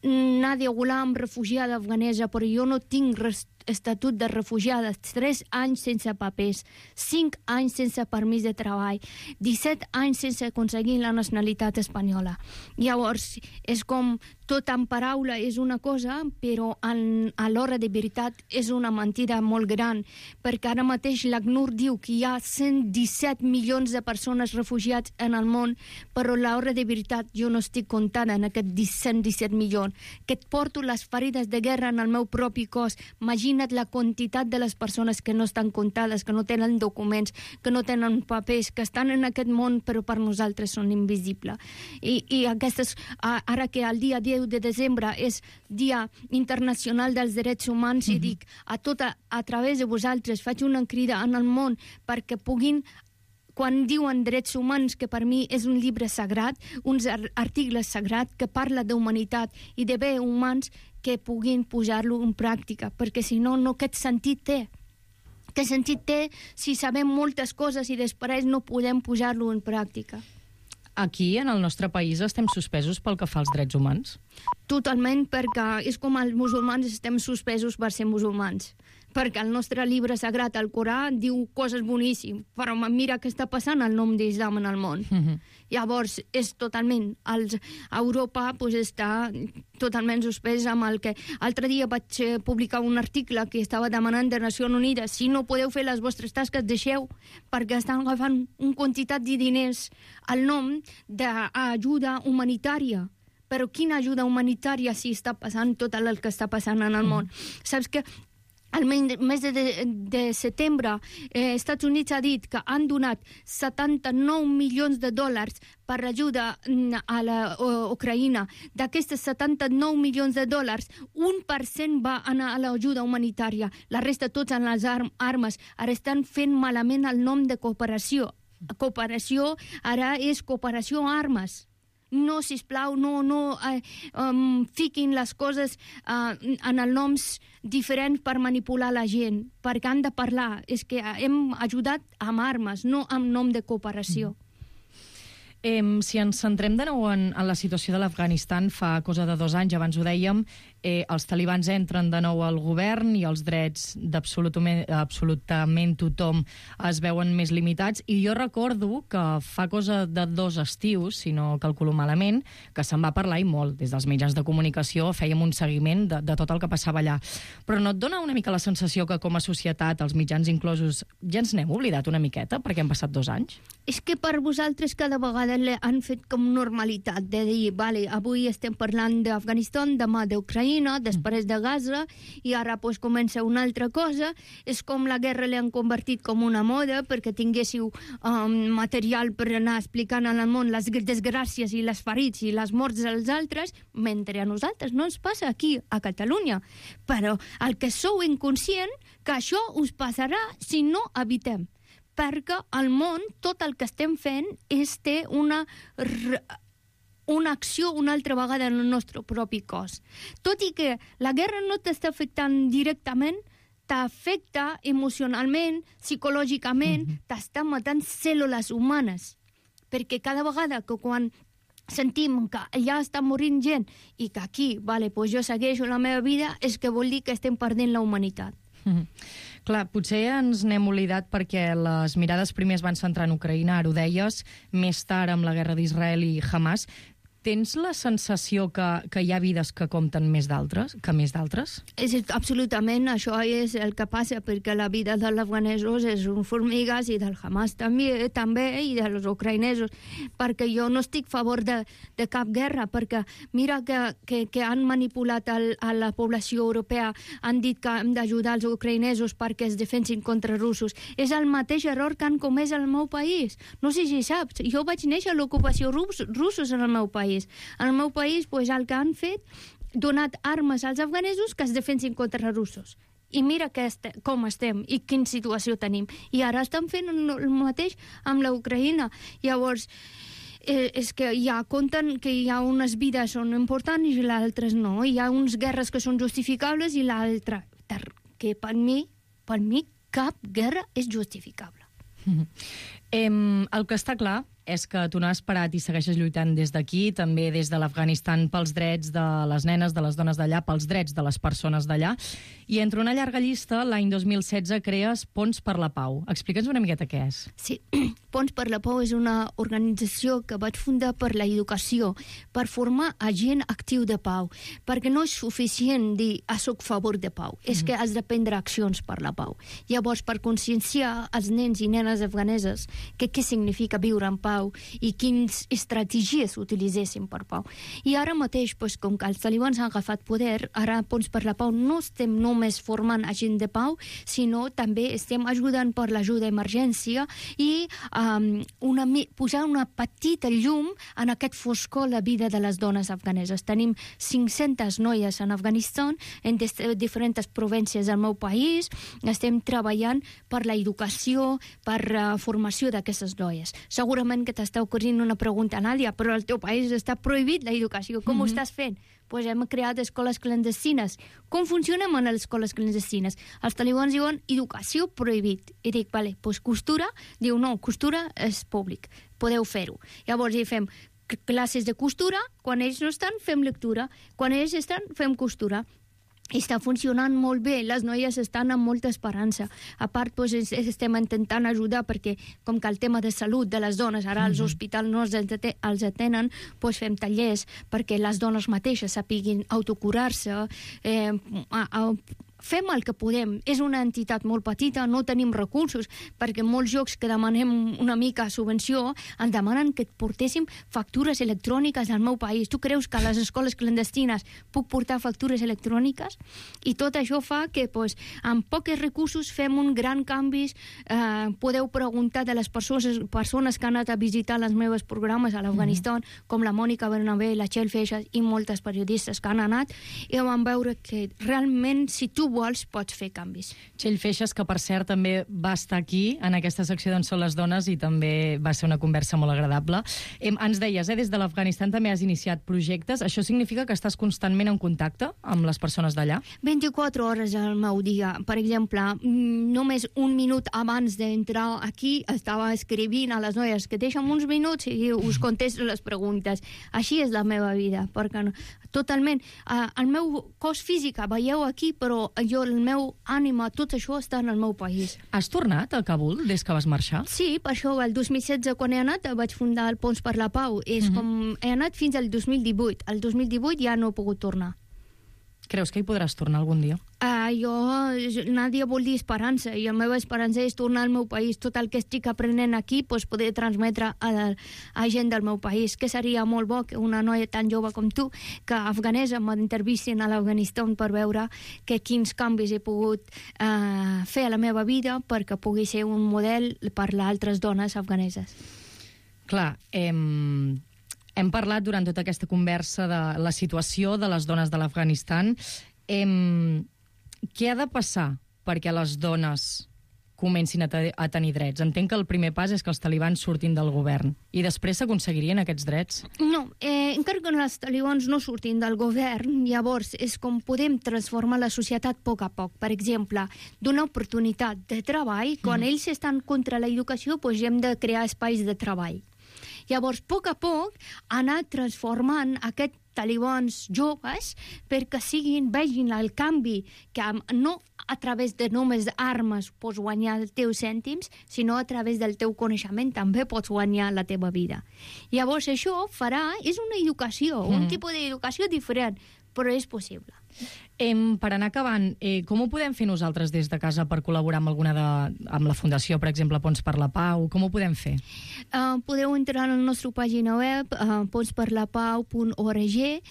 Speaker 13: Nadia Ghulam, refugiada afganesa, però jo no tinc estatut de refugiada, 3 anys sense papers, 5 anys sense permís de treball, 17 anys sense aconseguir la nacionalitat espanyola. Llavors, és com tot en paraula és una cosa, però a l'hora de veritat és una mentida molt gran, perquè ara mateix l'ACNUR diu que hi ha 117 milions de persones refugiats en el món, però a l'hora de veritat jo no estic comptant en aquests 117 milions, que et porto les ferides de guerra en el meu propi cos. Imagina imagina't la quantitat de les persones que no estan comptades, que no tenen documents, que no tenen papers, que estan en aquest món però per nosaltres són invisibles. I aquestes, ara que el dia 10 de desembre és Dia Internacional dels Drets Humans, i dic a través de vosaltres, faig una crida en el món perquè puguin, quan diuen drets humans, que per mi és un llibre sagrat, uns articles sagrats que parla d'humanitat i de bé humans, que puguin posar-lo en pràctica, perquè si no, aquest sentit té. Què sentit té si sabem moltes coses i després no podem posar-lo en pràctica?
Speaker 10: Aquí, en el nostre país, estem suspesos pel que fa als drets humans?
Speaker 13: Totalment, perquè és com els musulmans estem suspesos per ser musulmans. Perquè el nostre llibre sagrat, el Corà, diu coses boníssimes, però mira què està passant al nom d'Islam en el món. Llavors, és totalment... Europa està totalment suspès amb el que... L'altre dia vaig publicar un article que estava demanant de Nacions Unides: si no podeu fer les vostres tasques, deixeu, perquè estan agafant una quantitat de diners al nom d'ajuda humanitària. Però quina ajuda humanitària si està passant tot el que està passant en el món? Saps que al mes de setembre, Estats Units ha dit que han donat 79 milions de dòlars per ajuda a l'Ucraïna. D'aquestes 79 milions de dòlars, 1% va anar a l'ajuda humanitària. La resta, tots en les armes, ara estan fent malament el nom de cooperació. Cooperació ara és cooperació a armes. No, sisplau, no fiquin les coses en els noms diferents per manipular la gent, perquè han de parlar. És que hem ajudat amb armes, no amb nom de cooperació.
Speaker 10: Si ens centrem de nou en la situació de l'Afganistan, fa cosa de 2 anys, abans ho dèiem, els talibans entren de nou al govern i els drets d'absolutament tothom es veuen més limitats. I jo recordo que fa cosa de 2 estius, si no calculo malament, que se'n va parlar i molt. Des dels mitjans de comunicació fèiem un seguiment de tot el que passava allà. Però no et dona una mica la sensació que com a societat, els mitjans inclosos, ja ens n'hem oblidat una miqueta perquè han passat 2 anys?
Speaker 13: És que per vosaltres cada vegada han fet com normalitat de dir, vale, avui estem parlant d'Afganistan, demà d'Ucraïna, després de Gaza, i ara pues, comença una altra cosa. És com la guerra l'han convertit com una moda perquè tinguéssiu material per anar explicant al món les desgràcies i les ferits i les morts dels altres, mentre a nosaltres no ens passa aquí, a Catalunya. Però el que sou inconscient, que això us passarà si no evitem. Perquè al món tot el que estem fent té una acció una altra vegada en el nostre propi cos. Tot i que la guerra no t'està afectant directament, t'afecta emocionalment, psicològicament, t'està matant cèl·lules humanes. Perquè cada vegada que quan sentim que ja està morint gent i que aquí, vale, pues jo segueixo la meva vida, és que vol dir que estem perdent la humanitat.
Speaker 10: Clar, potser ens n'hem oblidat perquè les mirades primer es van centrar en Ucraïna, ara ho deies, més tard amb la guerra d'Israel i Hamas. Tens la sensació que hi ha vides que compten més d'altres?
Speaker 13: Absolutament, això és el que passa, perquè la vida dels afganesos és un formigues i del Hamas també i dels ucraïnesos, perquè jo no estic a favor de cap guerra, perquè mira que han manipulat a la població europea, han dit que hem d'ajudar els ucraïnesos perquè es defensin contra russos. És el mateix error que han comès al meu país. No sé si saps, jo vaig néixer a l'ocupació russos en el meu país. En el meu país, pues, el que han fet, donat armes als afganesos que es defensin contra russos. I mira com estem i quina situació tenim. I ara estan fent el mateix amb l'Ucraïna. Llavors, és que ja compten que hi ha unes vides són importants i les altres no. Hi ha unes guerres que són justificables i l'altra que per mi cap guerra és justificable.
Speaker 10: El que està clar és que tu no has parat i segueixes lluitant des d'aquí, també des de l'Afganistan, pels drets de les nenes, de les dones d'allà, pels drets de les persones d'allà. I entre una llarga llista, l'any 2016 crees Ponts per la Pau. Explica'ns una miqueta què és.
Speaker 13: Sí, Ponts per la Pau és una organització que vaig fundar per la educació, per formar a gent actiu de pau, perquè no és suficient dir soc a favor de pau, és que has de prendre accions per la pau. Llavors, per conscienciar els nens i nenes afganeses que què significa viure en pau, pau i quines estratègies utilitzessin per pau. I ara mateix, doncs, com que els talibans han agafat poder, ara Ponts per la Pau no estem només formant agent de pau, sinó també estem ajudant per l'ajuda d'emergència i posar una petita llum en aquest foscor la vida de les dones afganeses. Tenim 500 noies en Afganistan, en diferents províncies del meu país. Estem treballant per la educació, per la formació d'aquestes noies. Segurament que t'està ocorrent una pregunta, Nàdia, però al teu país està prohibit l'educació. Com ho estàs fent? Pues hem creat escoles clandestines. Com funcionen en les escoles clandestines? Els talibans diuen educació prohibit. I dic, vale, pues costura? Diu, no, costura és públic. Podeu fer-ho. Llavors hi fem classes de costura, quan ells no estan, fem lectura. Quan ells estan, fem costura. Està funcionant molt bé, les noies estan amb molta esperança. A part, doncs, estem intentant ajudar perquè, com que el tema de salut de les dones, ara als hospitals no els atenen, doncs fem tallers perquè les dones mateixes sapiguin autocurar-se, fem el que podem. És una entitat molt petita, no tenim recursos, perquè molts llocs que demanem una mica subvenció ens demanen que portéssim factures electròniques al meu país. Tu creus que a les escoles clandestines puc portar factures electròniques? I tot això fa que, doncs, amb pocs recursos fem un gran canvi. Podeu preguntar de les persones que han anat a visitar els meus programes a l'Afganistan, com la Mònica Bernabé, la Txell Feixas i moltes periodistes que han anat, i van veure que realment, si tu vols, pots fer canvis.
Speaker 10: Txell Feixas, que per cert també va estar aquí en aquesta secció d'on són les dones i també va ser una conversa molt agradable. Ens deies, des de l'Afganistan també has iniciat projectes. Això significa que estàs constantment en contacte amb les persones d'allà?
Speaker 13: 24 hores al meu dia. Per exemple, només un minut abans d'entrar aquí estava escrivint a les noies que deixen uns minuts i us contesto les preguntes. Així és la meva vida, perquè totalment. El meu cos físic veieu aquí, però el meu ànima, tot això està en el meu país.
Speaker 10: Has tornat a Kabul des que vas marxar?
Speaker 13: Sí, per això el 2016, quan he anat, vaig fundar el Ponts per la Pau. És com he anat fins al 2018. El 2018 ja no he pogut tornar.
Speaker 10: Creus que hi podràs tornar algun dia?
Speaker 13: Nàdia vol dir esperança, i la meva esperança és tornar al meu país. Tot el que estic aprenent aquí poder transmetre a gent del meu país, que seria molt bo que una noia tan jove com tu, que afganesa, m'entrevistin a l'Afganistan per veure quins canvis he pogut fer a la meva vida perquè pugui ser un model per a altres dones afganeses.
Speaker 10: Clar, hem parlat durant tota aquesta conversa de la situació de les dones de l'Afganistan. Què ha de passar perquè les dones comencin a tenir drets? Entenc que el primer pas és que els talibans surtin del govern i després s'aconseguirien aquests drets?
Speaker 13: No, encara que els talibans no surtin del govern, llavors és com podem transformar la societat a poc. Per exemple, donar oportunitat de treball. Quan ells estan contra l'educació, doncs hem de crear espais de treball. Llavors, a poc, anar transformant aquests talibans joves perquè vegin el canvi, que no a través de només armes pots guanyar els teus cèntims, sinó a través del teu coneixement també pots guanyar la teva vida. Llavors, això és una educació, un tipus d'educació diferent, però és possible.
Speaker 10: Per anar acabant, com ho podem fer nosaltres des de casa per col·laborar amb la Fundació, per exemple, Ponts per la Pau? Com ho podem fer?
Speaker 13: Podeu entrar a la nostra pàgina web, pontsperlapau.org,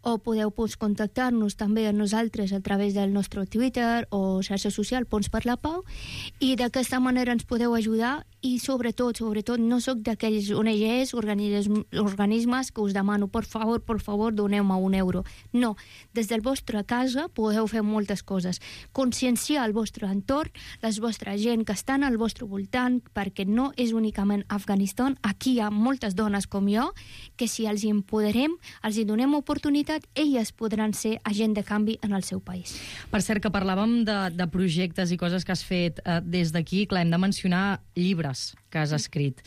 Speaker 13: o podeu contactar-nos també a nosaltres a través del nostre Twitter o xarxa social Ponts per la Pau, i d'aquesta manera ens podeu ajudar. I sobretot, no sóc d'aquells ONGs, organismes que us demano, per favor, doneu-me €1. No, des del vostre casa podeu fer moltes coses. Conscienciar el vostre entorn, la vostra gent que estan al vostre voltant, perquè no és únicament Afganistan. Aquí hi ha moltes dones com jo, que si els empoderem, els donem oportunitat, elles podran ser agent de canvi en el seu país.
Speaker 10: Per cert, que parlàvem de projectes i coses que has fet des d'aquí. Clar, hem de mencionar llibres que has escrit.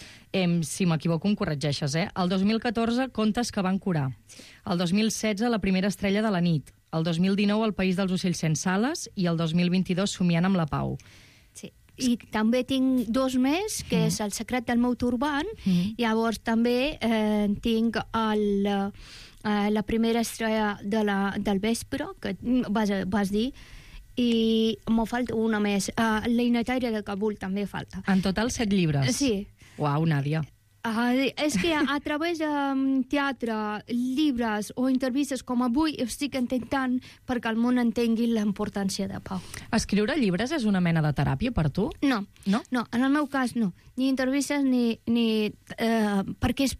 Speaker 10: Si m'equivoco, em corregeixes, El 2014, Contes que van curar. El 2016, La primera estrella de la nit. El 2019, El país dels ocells sense ales. I el 2022, Somiant amb la pau.
Speaker 13: Sí. I també tinc 2 més, que és El secret del meu turbant. Llavors també tinc La primera estrella del vespre, que vas dir, i m'ho falta una més. L'Einetaire de Kabul també falta.
Speaker 10: En total 7 llibres?
Speaker 13: Sí.
Speaker 10: Uau, Nàdia.
Speaker 13: És que a través de teatre, llibres o entrevistes com avui estic intentant perquè el món entengui la importància de pau.
Speaker 10: Escriure llibres és una mena de teràpia per tu?
Speaker 13: No, en el meu cas no. Ni entrevistes ni perquè és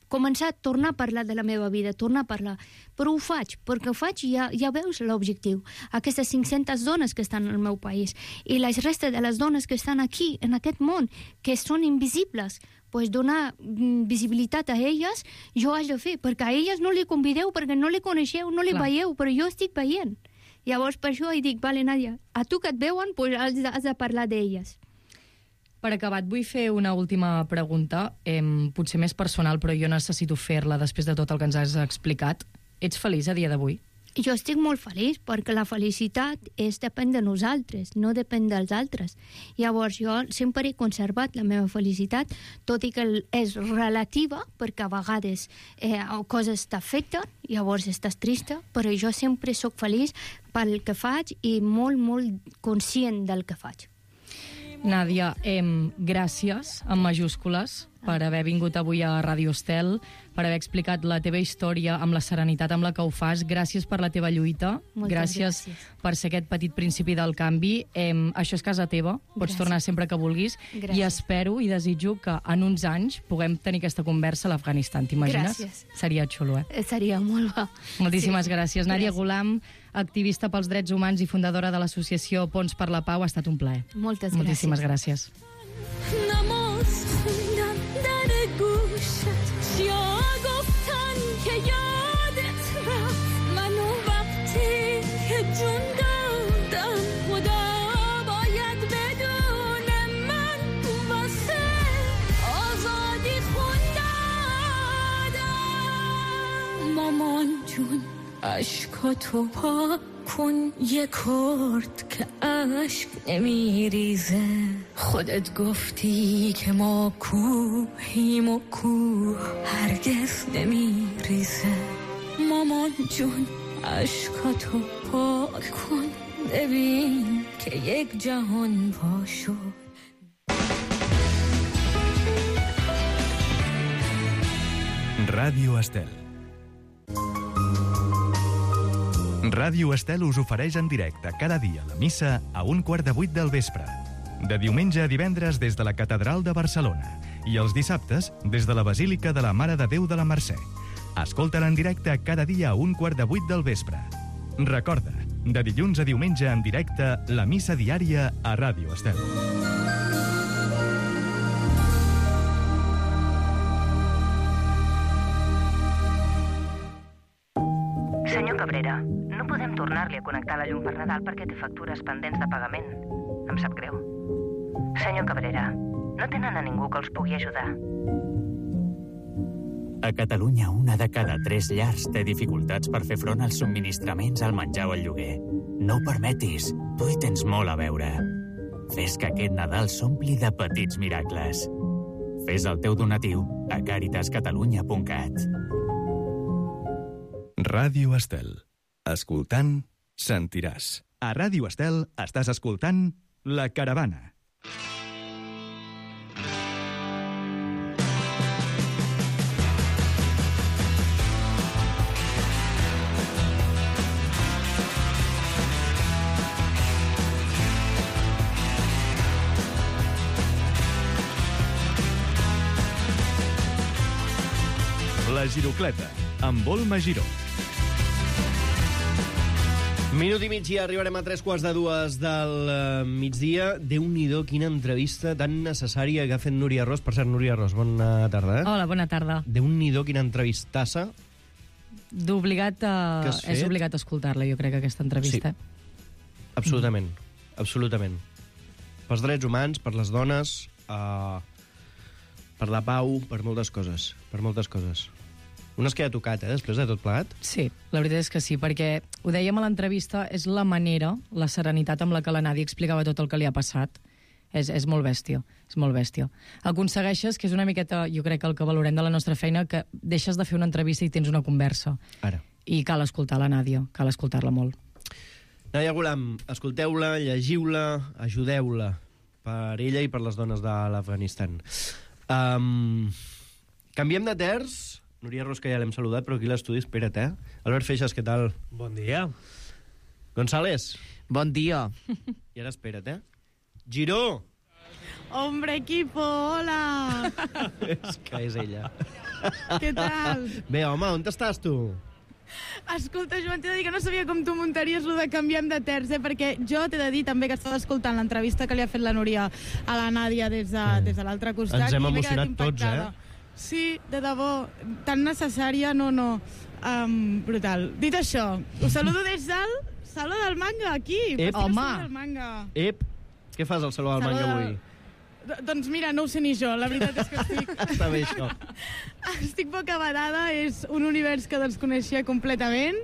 Speaker 13: començar a tornar a parlar de la meva vida, tornar a parlar. Però ho faig, perquè ho faig i ja veus l'objectiu. Aquestes 500 dones que estan al meu país i la resta de les dones que estan aquí, en aquest món, que són invisibles, pues donar visibilitat a elles, jo haig de fer, perquè a elles no li convideu, perquè no li coneixeu, no li veieu, però jo estic veient. Llavors, per això dic, vale, Nàdia, a tu que et veuen, pues has de parlar d'elles.
Speaker 10: Per acabar, et vull fer una última pregunta, potser més personal, però jo necessito fer-la després de tot el que ens has explicat. Ets feliç a dia d'avui?
Speaker 13: Jo estic molt feliç perquè la felicitat depèn de nosaltres, no depèn dels altres. Llavors jo sempre he conservat la meva felicitat, tot i que és relativa, perquè a vegades coses t'afecten, llavors estàs trista, però jo sempre sóc feliç pel que faig i molt, molt conscient del que faig.
Speaker 10: Nàdia, gràcies, amb majúscules, per haver vingut avui a Ràdio Estel, per haver explicat la teva història amb la serenitat amb la que ho fas. Gràcies per la teva lluita. Gràcies per ser aquest petit principi del canvi. Això és casa teva, pots tornar sempre que vulguis. I espero i desitjo que en uns anys puguem tenir aquesta conversa a l'Afganistan. T'imagines?
Speaker 13: Gràcies.
Speaker 10: Seria xulo,
Speaker 13: Seria molt bo.
Speaker 10: Moltíssimes gràcies. Nàdia Ghulam, activista pels drets humans i fundadora de l'associació Ponts per la Pau, ha estat un plaer.
Speaker 13: Moltes gràcies.
Speaker 10: Moltíssimes gràcies.
Speaker 12: نماز خوندن در گوشت یا گفتن که یادت رفت منو وقتی که جون دادم خدا باید بدونه من واسه آزادی خوندم مامان جون عشقاتو پاک کن یه کرد که عشق نمیریزه خودت گفتی که ما کوهیم و کوه هرگز نمیریزه مامان جون عشقاتو پاک کن ببین که یک جهان وا شد
Speaker 1: Ràdio Estel. Ràdio Estel us ofereix en directe cada dia la missa a 7:15 del vespre. De diumenge a divendres des de la Catedral de Barcelona i els dissabtes des de la Basílica de la Mare de Déu de la Mercè. Escolta-la en directe cada dia a 7:15 del vespre. Recorda, de dilluns a diumenge en directe, la missa diària a Ràdio Estel.
Speaker 11: Senyor Cabrera, no podem tornar-li a connectar la llum per Nadal perquè té factures pendents de pagament. Em sap greu. Senyor Cabrera, no tenen a ningú que els pugui ajudar.
Speaker 14: A Catalunya, 1 de cada 3 llars té dificultats per fer front als subministraments, al menjar o al lloguer. No ho permetis, tu hi tens molt a veure. Fes que aquest Nadal s'ompli de petits miracles. Fes el teu donatiu a caritascatalunya.cat.
Speaker 1: Ràdio Estel. Escoltant, sentiràs. A Ràdio Estel estàs escoltant La Caravana. La Girocleta, amb Olma Giró.
Speaker 15: Minut i mig i arribarem a 2:45 del migdia. Déu-n'hi-do, quina entrevista tan necessària que ha fet Núria Ros. Per cert, Núria Ros, bona tarda.
Speaker 10: Hola, bona tarda.
Speaker 15: Déu-n'hi-do, quina entrevistassa.
Speaker 10: D'obligat és obligat a escoltar-la, jo crec, aquesta entrevista.
Speaker 15: Sí. Absolutament, absolutament. Pels drets humans, per les dones, per la pau, per moltes coses, per moltes coses. Un es queda tocat, després de tot plegat?
Speaker 10: Sí, la veritat és que sí, perquè ho dèiem a l'entrevista, és la manera, la serenitat amb la que la Nàdia explicava tot el que li ha passat. És molt bèstia, és molt bèstia. Aconsegueixes, que és una miqueta, jo crec que el que valorem de la nostra feina, que deixes de fer una entrevista i tens una conversa.
Speaker 15: Ara.
Speaker 10: I cal escoltar la Nàdia, cal escoltar-la molt.
Speaker 15: Nàdia Ghulam, escolteu-la, llegiu-la, ajudeu-la per ella i per les dones de l'Afganistan. Canviem de terç. Núria Rosca ja l'hem saludat, però aquí a l'estudi, espera't, Albert Feixas, què tal?
Speaker 16: Bon dia.
Speaker 15: González.
Speaker 17: Bon dia.
Speaker 15: I ara espera't, Giró.
Speaker 18: Hombre, equipo, hola!
Speaker 15: És que és ella.
Speaker 18: Què tal?
Speaker 15: Bé, home, on estàs tu?
Speaker 18: Escolta, Joan, t'he de dir que no sabia com tu muntaries lo de canviem de terç, perquè jo t'he de dir també que estava escoltant l'entrevista que li ha fet la Núria a la Nàdia des de l'altre costat.
Speaker 15: Ens hem
Speaker 18: i m'he
Speaker 15: emocionat
Speaker 18: quedat
Speaker 15: tots,
Speaker 18: impactada. Sí, de debò, tan necessària, no. Brutal. Dit això, us saludo des del Saló del Manga, aquí.
Speaker 15: Home!
Speaker 18: Del Manga.
Speaker 15: Què fas al Saló del Manga avui?
Speaker 18: Doncs mira, no ho sé ni jo, la veritat és que estic...
Speaker 15: Està bé, això.
Speaker 18: Estic bocabadada, és un univers que desconeixia completament,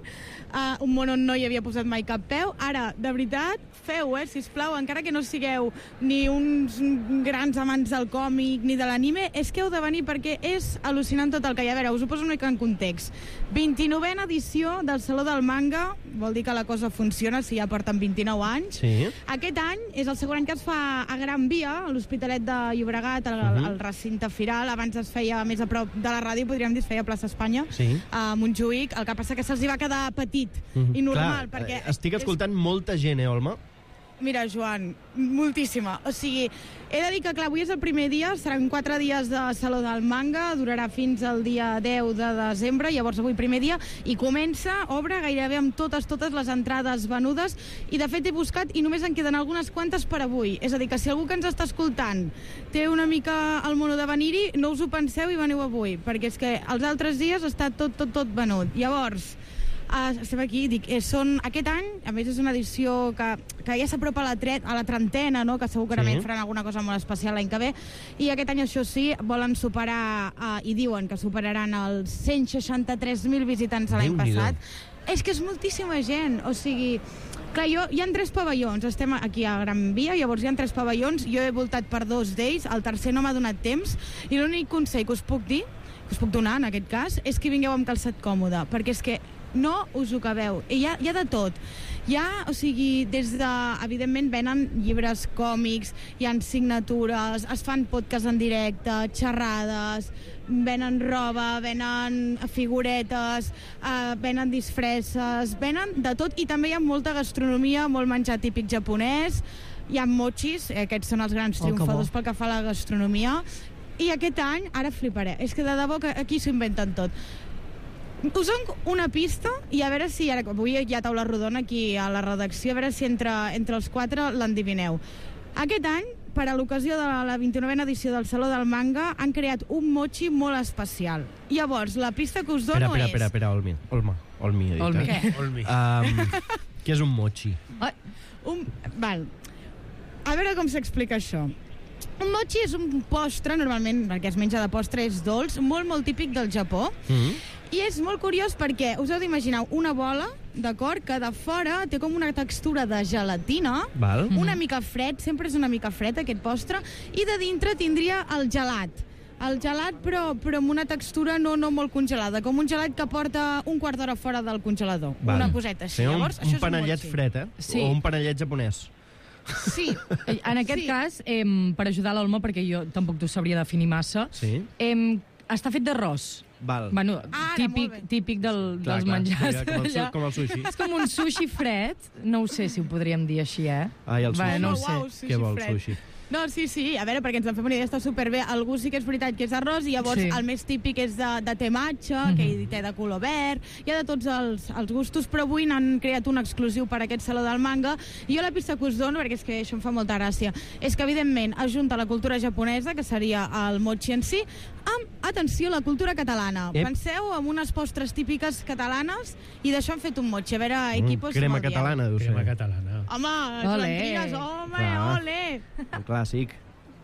Speaker 18: un món on no hi havia posat mai cap peu. Ara, de veritat, feu, sisplau, encara que no sigueu ni uns grans amants del còmic ni de l'anime, és que heu de venir perquè és al·lucinant tot el que hi ha. A veure, us ho poso una mica en context. 29a edició del Saló del Manga, vol dir que la cosa funciona si ja porten 29 anys.
Speaker 15: Sí.
Speaker 18: Aquest any és el segon any que es fa a Gran Via, a l'Hospitalet de Llobregat, al recinte firal. Abans es feia més a prop de la ràdio, podríem dir, es feia a Plaça Espanya, a Montjuïc. El que passa que se'ls va quedar petit i normal.
Speaker 15: Clar,
Speaker 18: perquè
Speaker 15: estic escoltant molta gent, Olma?
Speaker 18: Mira, Joan, moltíssima. O sigui, he de dir que, clar, avui és el primer dia, seran 4 dies de Saló del Manga, durarà fins al dia 10 de desembre, llavors avui primer dia, i obre gairebé amb totes les entrades venudes, i de fet he buscat i només en queden algunes quantes per avui. És a dir, que si algú que ens està escoltant té una mica el mono de venir-hi, no us ho penseu i veniu avui, perquè és que els altres dies està tot venut. Llavors, estem aquí, dic, aquest any, a més és una edició que ja s'apropa a la trentena, no? Que segurament faran alguna cosa molt especial l'any que ve, i aquest any, això sí, volen superar, i diuen que superaran els 163.000 visitants l'any passat. És que és moltíssima gent, o sigui... Clar, hi ha 3 pavellons, estem aquí a Gran Via, llavors hi ha 3 pavellons, jo he voltat per 2 d'ells, el tercer no m'ha donat temps, i l'únic consell que us puc dir, que us puc donar en aquest cas, és que vingueu amb calçat còmode, perquè és que no us ho acabeu. Hi ha de tot. O sigui, evidentment venen llibres còmics, hi ha signatures, es fan podcasts en directe, xerrades, venen roba, venen figuretes, venen disfresses, venen de tot, i també hi ha molta gastronomia, molt menjar típic japonès, hi ha mochis, aquests són els grans triomfadors pel que fa a la gastronomia, i aquest any, ara fliparé, és que de debò que aquí s'ho inventen tot. Us dono una pista i a veure si avui hi ha taula rodona aquí a la redacció, a veure si entre els 4 l'endivineu. Aquest any, per a l'ocasió de la 29a edició del Saló del Manga, han creat un mochi molt especial. Llavors, la pista que us dono és...
Speaker 15: Espera, Olmi.
Speaker 18: Què?
Speaker 15: Què és un mochi?
Speaker 18: Val. A veure com s'explica això. Un mochi és un postre, normalment, perquè es menja de postre, és dolç, molt típic del Japó. I és molt curiós perquè us heu d'imaginar una bola, d'acord, que de fora té com una textura de gelatina, una mica fred, sempre és una mica fred aquest postre, i de dintre tindria el gelat. El gelat, però amb una textura no molt congelada, com un gelat que porta un quart d'hora fora del congelador. Una coseta així. Llavors, això és un
Speaker 15: panellet fred, o un panellet japonès.
Speaker 18: Sí.
Speaker 10: En aquest cas, per ajudar l'Olma, perquè jo tampoc t'ho sabria definir massa, està fet d'arròs. Bueno, típic dels menjars.
Speaker 15: Com el sushi.
Speaker 10: És com un sushi fred, no ho sé si ho podríem dir així,
Speaker 15: Ai, el sushi.
Speaker 10: No ho sé.
Speaker 15: Què vol, sushi?
Speaker 18: No, sí, a veure, perquè ens en fem una idea, està superbé. Algú sí que és veritat que és arròs, i llavors el més típic és de té matxa, que hi té de color verd, hi ha de tots els gustos, però avui n'han creat un exclusiu per a aquest Saló del Manga, i jo la pista que us dono, perquè és que això em fa molta gràcia, és que evidentment ajunta la cultura japonesa, que seria el mochi en si, amb, atenció, la cultura catalana. Penseu en unes postres típiques catalanes, i d'això han fet un mochi. A veure, equipos...
Speaker 15: Crema catalana, deu ser.
Speaker 16: Crema catalana.
Speaker 18: Home, Joan, ole!
Speaker 15: Un clàssic.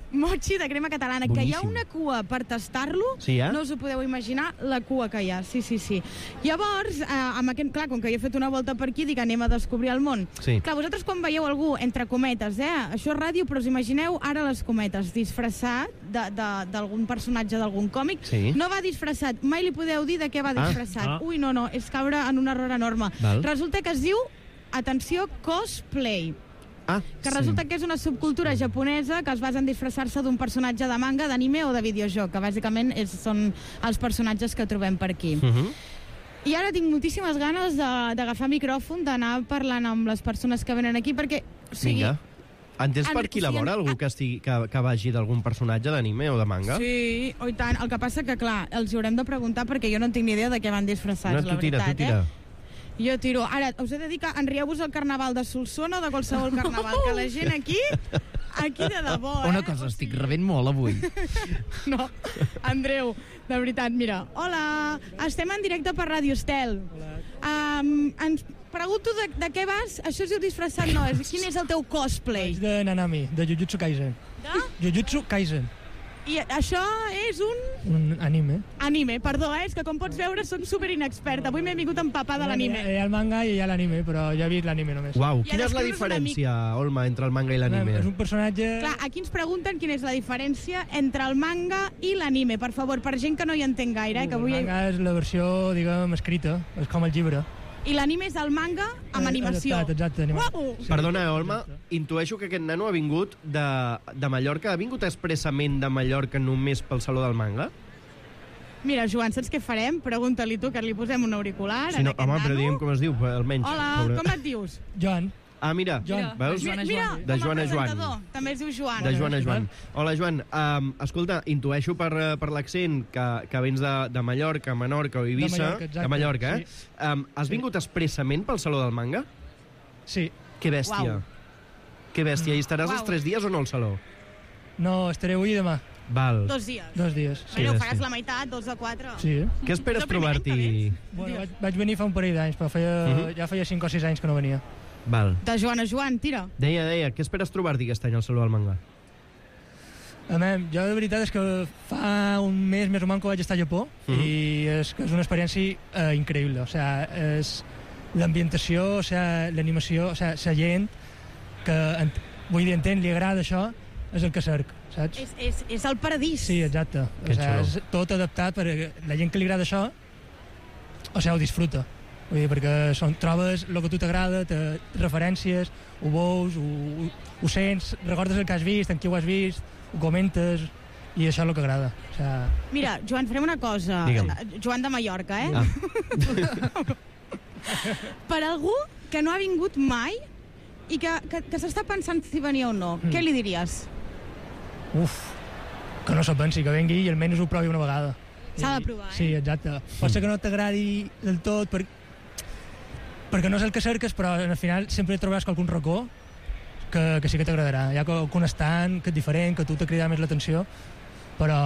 Speaker 18: Mochi de crema catalana, boníssim. Que hi ha una cua per tastar-lo, no us ho podeu imaginar la cua que hi ha, sí. Llavors, amb aquest, clar, com que jo he fet una volta per aquí, dic, anem a descobrir el món. Clar, vosaltres quan veieu algú, entre cometes, això és ràdio, però us imagineu ara les cometes, disfressat d'algun personatge d'algun còmic, no va disfressat, mai li podeu dir de què va disfressat. Ui, no, és caure en un error enorme. Resulta que es diu, atenció, cosplay. que resulta que és una subcultura japonesa que es basa en disfressar-se d'un personatge de manga, d'anime o de videojoc, que bàsicament són els personatges que trobem per aquí. I ara tinc moltíssimes ganes d'agafar micròfon, d'anar parlant amb les persones que venen aquí, perquè...
Speaker 15: Vinga. Entens per qui la vora algú que vagi d'algun personatge d'anime o de manga?
Speaker 18: Sí, i tant. El que passa que, clar, els haurem de preguntar perquè jo no tinc ni idea de què van disfressats, la veritat.
Speaker 15: Tu tira.
Speaker 18: Jo tiro. Ara, us he de dir que enrieu-vos el carnaval de Solsona o de qualsevol carnaval, que la gent aquí de debò,
Speaker 16: Una cosa, estic rebent molt avui.
Speaker 18: No, Andreu, de veritat, mira. Hola, estem en directe per Ràdio Estel. Ens pregunto de què vas? Això es diu disfressat, no? Quin és el teu cosplay?
Speaker 17: Vaig de Nanami, de Jujutsu Kaisen.
Speaker 18: De?
Speaker 17: Jujutsu Kaisen.
Speaker 18: I això és un...
Speaker 17: Un anime.
Speaker 18: Anime, perdó, és que com pots veure soc super inexperta. Avui m'he vingut a empapar de l'anime.
Speaker 17: Hi ha el manga i hi ha l'anime, però ja he vist l'anime només.
Speaker 15: Uau, quina és la diferència, Olma, entre el manga i l'anime?
Speaker 17: És un personatge...
Speaker 18: Clar, aquí ens pregunten quina és la diferència entre el manga i l'anime, per favor, per gent que no hi entén gaire. Que avui...
Speaker 17: El manga és la versió, diguem, escrita, és com el llibre.
Speaker 18: I l'anime és el manga amb animació.
Speaker 17: Exacte, animació.
Speaker 18: Uau!
Speaker 15: Perdona, Olma, intueixo que aquest nano ha vingut de Mallorca. Ha vingut expressament de Mallorca només pel Saló del Manga?
Speaker 18: Mira, Joan, saps què farem? Pregunta-li tu, que li posem un auricular
Speaker 15: Sí, no, home, però diguem com es diu, almenys.
Speaker 18: Hola, com et dius?
Speaker 17: Joan.
Speaker 15: Ah, mira, veus?
Speaker 18: Mira,
Speaker 15: de Joan a Joan.
Speaker 18: També es diu Joan.
Speaker 15: De Joan a Joan. Hola, Joan. Escolta, intueixo per l'accent que vens de Mallorca, Menorca o Eivissa.
Speaker 17: De
Speaker 15: Mallorca,
Speaker 17: sí.
Speaker 15: Has vingut expressament pel Saló del Manga?
Speaker 17: Sí.
Speaker 15: Que bèstia. Que bèstia. I estaràs els 3 dies o no al Saló?
Speaker 17: No, estaré avui i demà.
Speaker 15: Val.
Speaker 18: 2 dies.
Speaker 17: 2 dies.
Speaker 18: Bueno, faràs la meitat, 2 de 4.
Speaker 17: Sí.
Speaker 15: Què esperes trobar-t'hi?
Speaker 17: Bueno, vaig venir fa un parell d'anys, però ja feia 5 o 6 anys que no venia.
Speaker 15: Val.
Speaker 18: De Joan a Joan, tira.
Speaker 15: Deia, què esperes trobar-t'hi aquest any al Saló del Manga?
Speaker 17: Jo de veritat és que fa un mes o manco vaig estar a Japó i és una experiència increïble. O sigui, és l'ambientació, o sigui, l'animació, o sigui, la gent que, vull dir, entén, li agrada això, és el que cerc, saps?
Speaker 18: És el paradís.
Speaker 17: Sí, exacte. O sigui, és tot adaptat perquè la gent que li agrada això, o sigui, ho disfruta. Vull dir, perquè trobes el que a tu t'agrada, referències, ho veus, ho sents, recordes el que has vist, en qui ho has vist, ho comentes, i això és el que agrada. O sigui...
Speaker 18: Mira, Joan, farem una cosa.
Speaker 15: Digue'm.
Speaker 18: Joan de Mallorca, Per algú que no ha vingut mai i que s'està pensant si venia o no, què li diries?
Speaker 17: Que no s'ho pensi, que vengui i almenys ho provi una vegada.
Speaker 18: S'ha de provar,
Speaker 17: Sí, exacte. Pot ser que no t'agradi del tot, perquè no és el que cerques, però al final sempre trobaràs qualcun racó que sí que t'agradarà. Hi ha qualcun estant que és diferent, que a tu t'ha cridat més l'atenció, però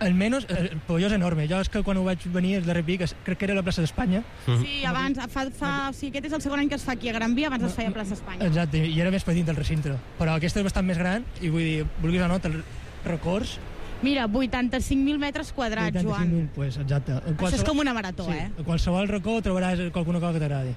Speaker 17: almenys el pavelló és enorme. Jo és que quan ho vaig venir el darrer pic, crec que era a la plaça d'Espanya.
Speaker 18: Sí, abans, aquest és el segon any que es fa aquí a Gran Via, abans es feia a plaça Espanya.
Speaker 17: Exacte, i era més petit del recinte. Però aquesta és bastant més gran i vull dir, vulguis o no, te'l records.
Speaker 18: Mira, 85.000 metres quadrats, Joan.
Speaker 17: 85.000, pues, exacte.
Speaker 18: Això és com una marató,
Speaker 17: sí, a qualsevol racó trobaràs qualsuna cosa que t'agradi.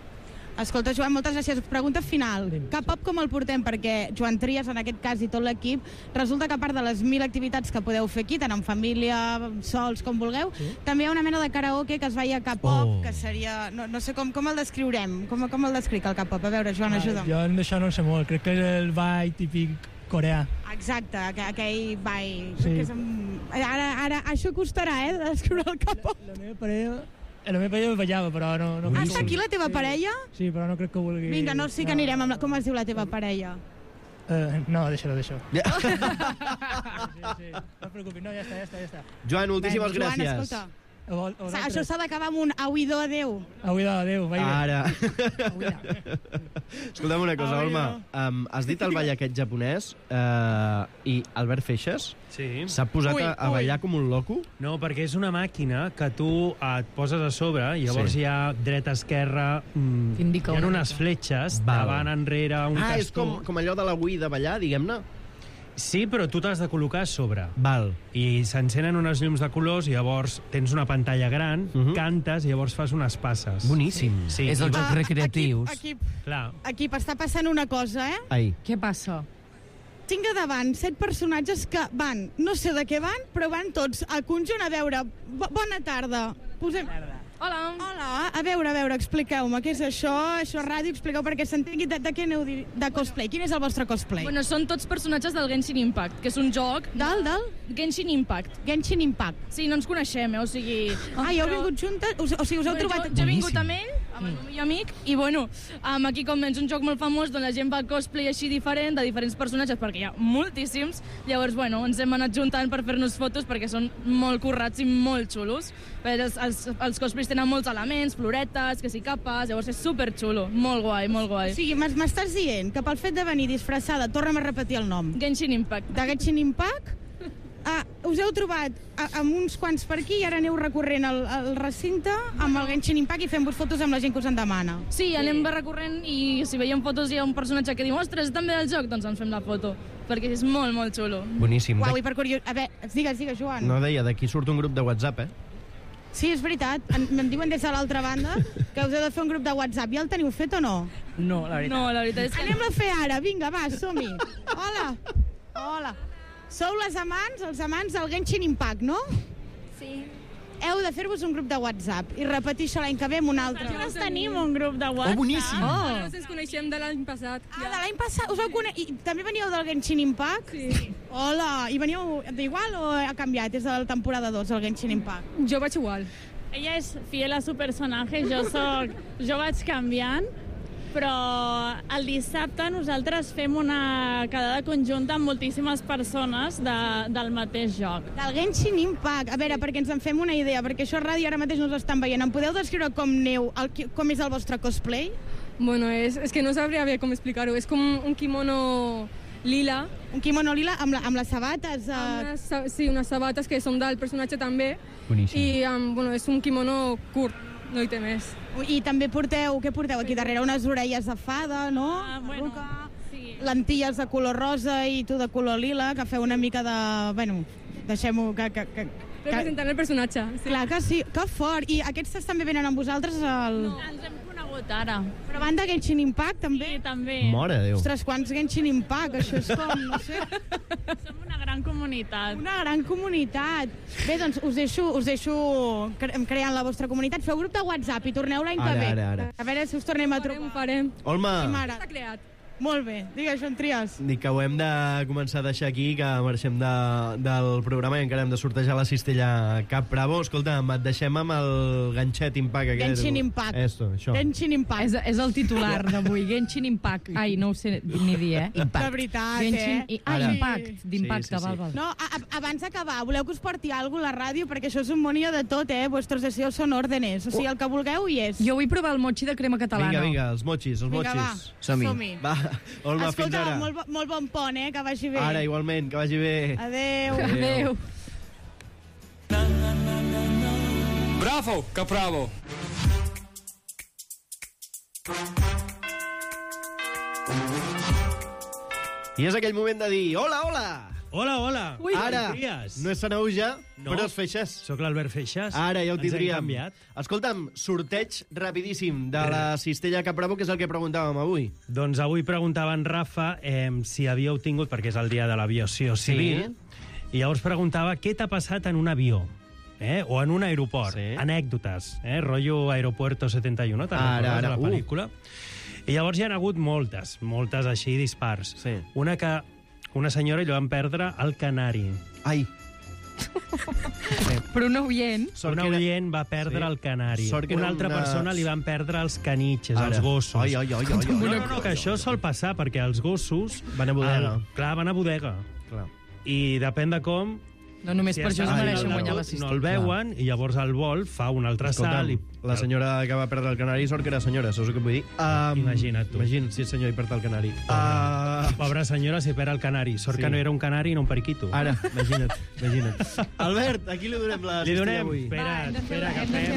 Speaker 18: Escolta, Joan, moltes gràcies. Pregunta final. Cap cop com el portem? Perquè Joan Trias, en aquest cas, i tot l'equip, resulta que a part de les 1.000 activitats que podeu fer aquí, tant en família, sols, com vulgueu, també hi ha una mena de karaoke que es veia K-pop, que seria... No sé com el descriurem. Com el descric, el K-pop? A veure, Joan, ajuda'm.
Speaker 17: Jo d'això no en sé molt. Crec que és el ball típic coreà.
Speaker 18: Exacte, aquell ball.
Speaker 17: Sí.
Speaker 18: Ara això costarà, de descriure el K-pop.
Speaker 17: La meva parella ballava, però no...
Speaker 18: Està aquí la teva parella?
Speaker 17: Sí, però no crec que vulgui...
Speaker 18: Vinga, no, sí que anirem amb com es diu la teva parella?
Speaker 17: No, deixa-ho. Sí, no et preocupis, no, ja està.
Speaker 15: Joan, moltíssimes gràcies.
Speaker 18: Joan, escolta. Això s'ha d'acabar amb un auidor adeu.
Speaker 17: Auidor adeu, vai bé.
Speaker 15: Ara. Escolta'm una cosa, Olma. Has dit el ball aquest japonès i Albert Feixes s'ha posat a ballar com un loco?
Speaker 19: No, perquè és una màquina que tu et poses a sobre i llavors hi ha dreta, esquerra, hi ha unes fletxes, davant, enrere, un tastó.
Speaker 15: És com allò de la Wii de ballar, diguem-ne?
Speaker 19: Sí, però tu t'has de col·locar a sobre.
Speaker 15: Val.
Speaker 19: I s'encenen unes llums de colors i llavors tens una pantalla gran, cantes i llavors fas unes passes.
Speaker 15: Boníssim.
Speaker 19: Sí.
Speaker 16: És els jocs recreatius.
Speaker 18: Aquí està passant una cosa,
Speaker 15: Ai.
Speaker 10: Què passa?
Speaker 18: Tinc a davant 7 personatges que van, no sé de què van, però van tots al conjunt a veure. Bona tarda. Hola. Hola. A veure, expliqueu-me, què és això? Això és ràdio, expliqueu perquè s'entengui de què aneu de cosplay. Quin és el vostre cosplay?
Speaker 20: Bueno, són tots personatges del Genshin Impact, que és un joc...
Speaker 18: Del?
Speaker 20: Genshin Impact.
Speaker 18: Genshin Impact.
Speaker 20: Sí, no ens coneixem, o sigui...
Speaker 18: Ah, hi heu vingut juntes? O sigui, us heu trobat...
Speaker 20: Jo he vingut amb ell, amb el meu amic, i bueno, aquí com és un joc molt famós, doncs la gent fa cosplay així diferent, de diferents personatges, perquè hi ha moltíssims. Llavors, bueno, ens hem anat juntant per fer-nos fotos, perquè són molt currats i molt xulos. Els cosplays tenen molts elements, floretes, que si capes, llavors és superxulo, molt guai, molt guai.
Speaker 18: O sigui, m'estàs dient que pel fet de venir disfressada, torna'm a repetir el nom.
Speaker 20: Genshin Impact.
Speaker 18: De Genshin Impact? Us heu trobat amb uns quants per aquí i ara aneu recorrent el recinte amb el Genshin Impact i fent-vos fotos amb la gent que us en demana.
Speaker 20: Sí, anem recorrent i si veiem fotos hi ha un personatge que diu ostres, també del joc, doncs ens fem la foto, perquè és molt, molt xulo.
Speaker 15: Boníssim.
Speaker 18: Uau, i per curiós... A veure, digues, Joan.
Speaker 15: No, deia, d'aquí surt un grup de WhatsApp,
Speaker 18: Sí, és veritat. Me'n diuen des de l'altra banda que us heu de fer un grup de WhatsApp. Ja el teniu fet o no?
Speaker 20: No, la veritat és que...
Speaker 18: Anem-lo a fer ara. Vinga, va, som-hi. Hola. Sou els amants del Genshin Impact, no?
Speaker 21: Sí.
Speaker 18: Heu de fer-vos un grup de WhatsApp i repetir això l'any que ve amb un altre.
Speaker 21: Nosaltres tenim un grup de WhatsApp.
Speaker 15: Boníssim.
Speaker 20: Nosaltres ens coneixem de l'any passat.
Speaker 18: De l'any passat? Us heu I també veníeu del Genshin Impact?
Speaker 21: Sí.
Speaker 18: Hola, i veníeu d'igual o ha canviat? És de la temporada 2, el Genshin Impact.
Speaker 20: Jo vaig igual.
Speaker 21: Ella és fiel a su personatge, jo vaig canviant, però el dissabte nosaltres fem una quedada conjunta amb moltíssimes persones del mateix joc.
Speaker 18: Del Genshin Impact. A veure, perquè ens en fem una idea, perquè això a ràdio ara mateix no us estan veient. Em podeu descriure com neu, com és el vostre cosplay?
Speaker 20: Bueno, és que no sabria bé com explicar-ho. És com un kimono lila.
Speaker 18: Un kimono lila amb les sabates?
Speaker 20: Sí, unes sabates que són del personatge també.
Speaker 15: Boníssim.
Speaker 20: I bueno, és un kimono curt, no hi té més.
Speaker 18: I també què porteu aquí darrere? Unes orelles de fada, no?
Speaker 21: Bueno, sí.
Speaker 18: Lentilles de color rosa i tu de color lila, que feu una mica de... Bueno, deixem-ho
Speaker 20: representant el personatge.
Speaker 18: Sí. Clar que sí, que fort. I aquests també venen amb vosaltres?
Speaker 21: No, ens hem conegut ara.
Speaker 18: Però van de Genshin Impact, també?
Speaker 21: Sí, també.
Speaker 15: Mare de Déu.
Speaker 18: Ostres, quants Genshin Impact? Això és com, no sé...
Speaker 21: Som una gran comunitat.
Speaker 18: Una gran comunitat. Bé, doncs us deixo creant la vostra comunitat. Feu grup de WhatsApp i torneu l'any que ve.
Speaker 15: Ara.
Speaker 18: A veure si us tornem a trobar.
Speaker 20: Ho farem.
Speaker 15: Olma.
Speaker 18: Està creat. Molt bé. Digues, Joan Trias.
Speaker 15: Dic que ho hem de començar a deixar aquí, que marxem del programa i encara hem de sortejar la cistella Cap Bravo. Escolta'm, et deixem amb el ganxet Impact.
Speaker 18: Genshin Impact.
Speaker 15: Això.
Speaker 18: Genshin Impact.
Speaker 10: És el titular d'avui. Genshin Impact. Ai, no ho sé ni dir, Impact.
Speaker 18: De veritat,
Speaker 10: Genshin...
Speaker 18: Impact.
Speaker 10: D'impacte, val.
Speaker 18: No, abans d'acabar, voleu que us porti alguna cosa a la ràdio? Perquè això és un monia de tot, Vuestros deseos son órdenes. O sigui, el que vulgueu hi és.
Speaker 10: Jo vull provar el mochi de crema catalana.
Speaker 15: Vinga, els mochis.
Speaker 18: Vinga, va.
Speaker 15: Som-hi. Va, Olma, fins ara.
Speaker 18: Escolta, molt bon pont, que vagi bé.
Speaker 15: Ara, igualment, que vagi bé.
Speaker 18: Adéu.
Speaker 22: Bravo, Capravo.
Speaker 15: I és aquell moment de dir hola.
Speaker 19: Hola.
Speaker 15: Ui, ara, no és Sanauja,
Speaker 19: no,
Speaker 15: però és Feixas.
Speaker 19: Soc l'Albert Feixas.
Speaker 15: Ara ja ho tindríem.
Speaker 19: Ens hem canviat.
Speaker 15: Escolta'm, sorteig rapidíssim de la cistella Cap Bravo, que és el que preguntàvem avui.
Speaker 19: Doncs avui preguntava en Rafa si havíeu tingut, perquè és el dia de l'aviació civil, i llavors preguntava què t'ha passat en un avió. O en un aeroport. Sí. Anècdotes. Rotllo Aeropuerto 71, te'n recordes de la pel·lícula? I llavors hi ha hagut moltes així dispars.
Speaker 15: Sí.
Speaker 19: Una senyora li van perdre el canari.
Speaker 15: Ai.
Speaker 10: Però un oient...
Speaker 19: Un oient va perdre el canari. Una altra persona li van perdre els canitxes, els gossos.
Speaker 15: Ai.
Speaker 19: No, que això sol passar, perquè els gossos...
Speaker 15: Van a bodega.
Speaker 19: Clar, van a bodega. I depèn de com...
Speaker 10: No només per això es mereixen guanyar la cistella.
Speaker 19: No el veuen, i llavors el vol fa un altre salt.
Speaker 15: La senyora que va perdre el canari, sort que era senyora, saps el que vull dir?
Speaker 19: Imagina't tu.
Speaker 15: Imagina't, si és senyor i perd el canari.
Speaker 19: Pobra senyora si perd el canari. Sort que no era un canari, no un periquito.
Speaker 15: Ara, imagina't. Albert, a qui li donem la cistella avui?
Speaker 19: Espera, que fem.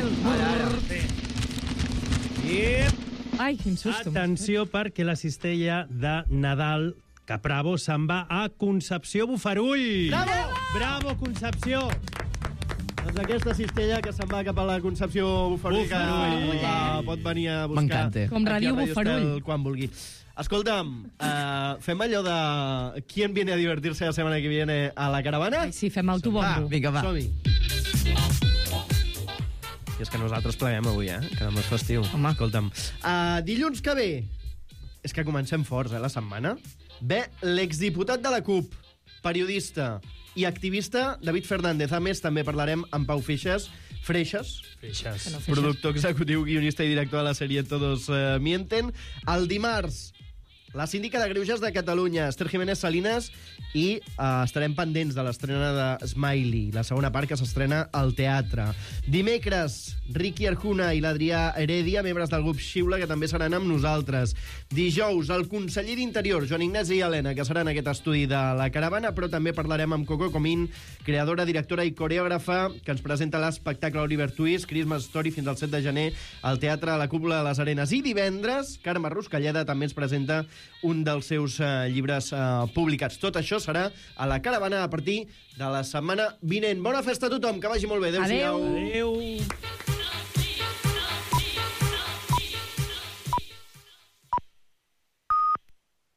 Speaker 10: Ai, quin susto.
Speaker 19: Atenció, perquè la cistella de Nadal Capravo se'n va a Concepció Bofarull. Bravo, Concepció!
Speaker 15: Doncs aquesta cistella que se'n va cap a la Concepció Bofarull, que pot venir a buscar...
Speaker 16: M'encanta.
Speaker 10: Com Ràdio Bofarull.
Speaker 15: Quan vulgui. Escolta'm, fem allò de... ¿Quién viene a divertirse la semana que viene a la caravana?
Speaker 10: Ai, sí, fem el tu bombo.
Speaker 16: Vinga, va.
Speaker 15: Som-hi. I és que nosaltres pleguem avui, que demà és festiu. Home. Escolta'm. Dilluns que ve, és que comencem forts, la setmana, ve l'exdiputat de la CUP, periodista i activista David Fernández. A més, també parlarem amb Pau Freixas, productor executiu, guionista i director de la sèrie Todos Mienten. El dimarts, la síndica de Greuges de Catalunya, Esther Jiménez Salinas, i estarem pendents de l'estrena de Smiley, la segona part que s'estrena al teatre. Dimecres, Ricky Arjuna i l'Adrià Heredia, membres del grup Xiula, que també seran amb nosaltres. Dijous, el conseller d'Interior, Joan Ignasi Helena, que serà en aquest estudi de La Caravana, però també parlarem amb Coco Comín, creadora, directora i coreògrafa, que ens presenta l'espectacle Oliver Twist, Christmas Story, fins al 7 de gener al Teatre a la Cúpula de les Arenes. I divendres, Carme Ruscalleda també ens presenta un dels seus llibres publicats. Tot això serà a La Caravana a partir de la setmana vinent. Bona festa a tothom, que vagi molt bé. Adéu-siau. Adéu.